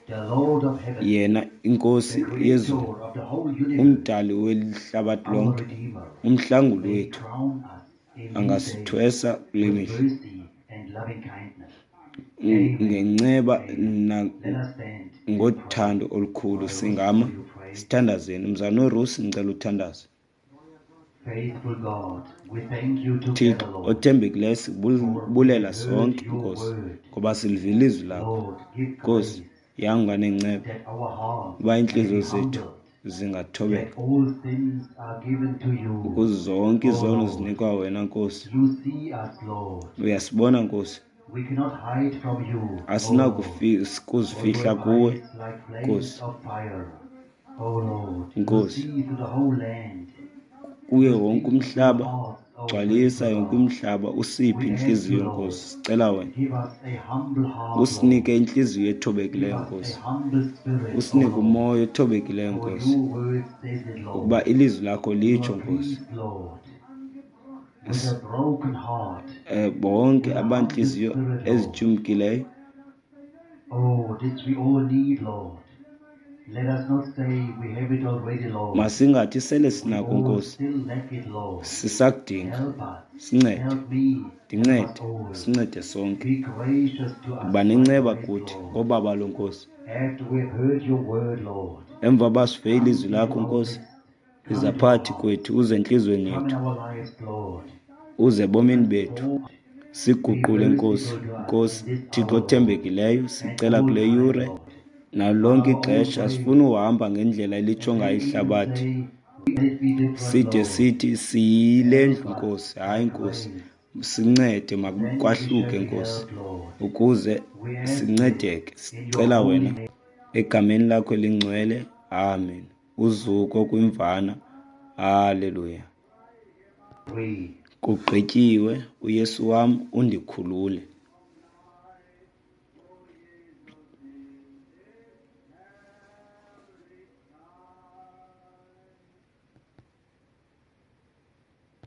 the Lord of heaven, Yena inkosi the yezulu, creator of the whole universe, umdali welihlabathi our lonke, Redeemer, umhlanguli may wethu, crown us in these days angasithwesa kule with mihla mercy and Ngenceba ngothando olukhulu singama sithandazeni. Mzalwana uRusi, ndicela uthandaze. Thixo othembekileyo, sikubulela sonke, Nkosi, ngoba silivile ilizwi lakho. Nkosi, yanga nenceba uba iintliziyo zethu zingathobeka, ukuze zonke izono zinikwa wena, Nkosi. Uyasibona, Nkosi, asinakuzifihla kuwe, Nkosi. Nkosi, kuye wonke umhlaba, gcwalisa yonke umhlaba, usiphe intliziyo, Nkosi. Sicela wena usinike intliziyo ethobekileyo, Nkosi. Usinike umoya othobekileyo, Nkosi, ngokuba ilizwi lakho litsho, Nkosi, eh bonke abantliziyo ezityumkileyo. Masingathi sele sinako, Nkosi, sisakudinga. Sincede, ndincede, sincede sonke. Yiba nenceba kuthi ngobabalo, Nkosi. Emva uba sive ilizwi lakho, Nkosi, iza phakathi kwethu, uze entliziyweni yethu, uze ebomini bethu. Siguqule, Nkosi. Nkosi, Thixo othembekileyo, sicela kule yure nalonke ixesha, asifuni uhamba ngendlela elitsho ngayo ihlabathi, side sithi siyile ndlu, Nkosi. Hayi, Nkosi, sincede, makwahluke, Nkosi, ukuze sincedeke. Sicela wena egameni lakho elingcwele, amen. Uzuko kwimvana, haleluya. Kugqityiwe, uYesu wam undikhulule.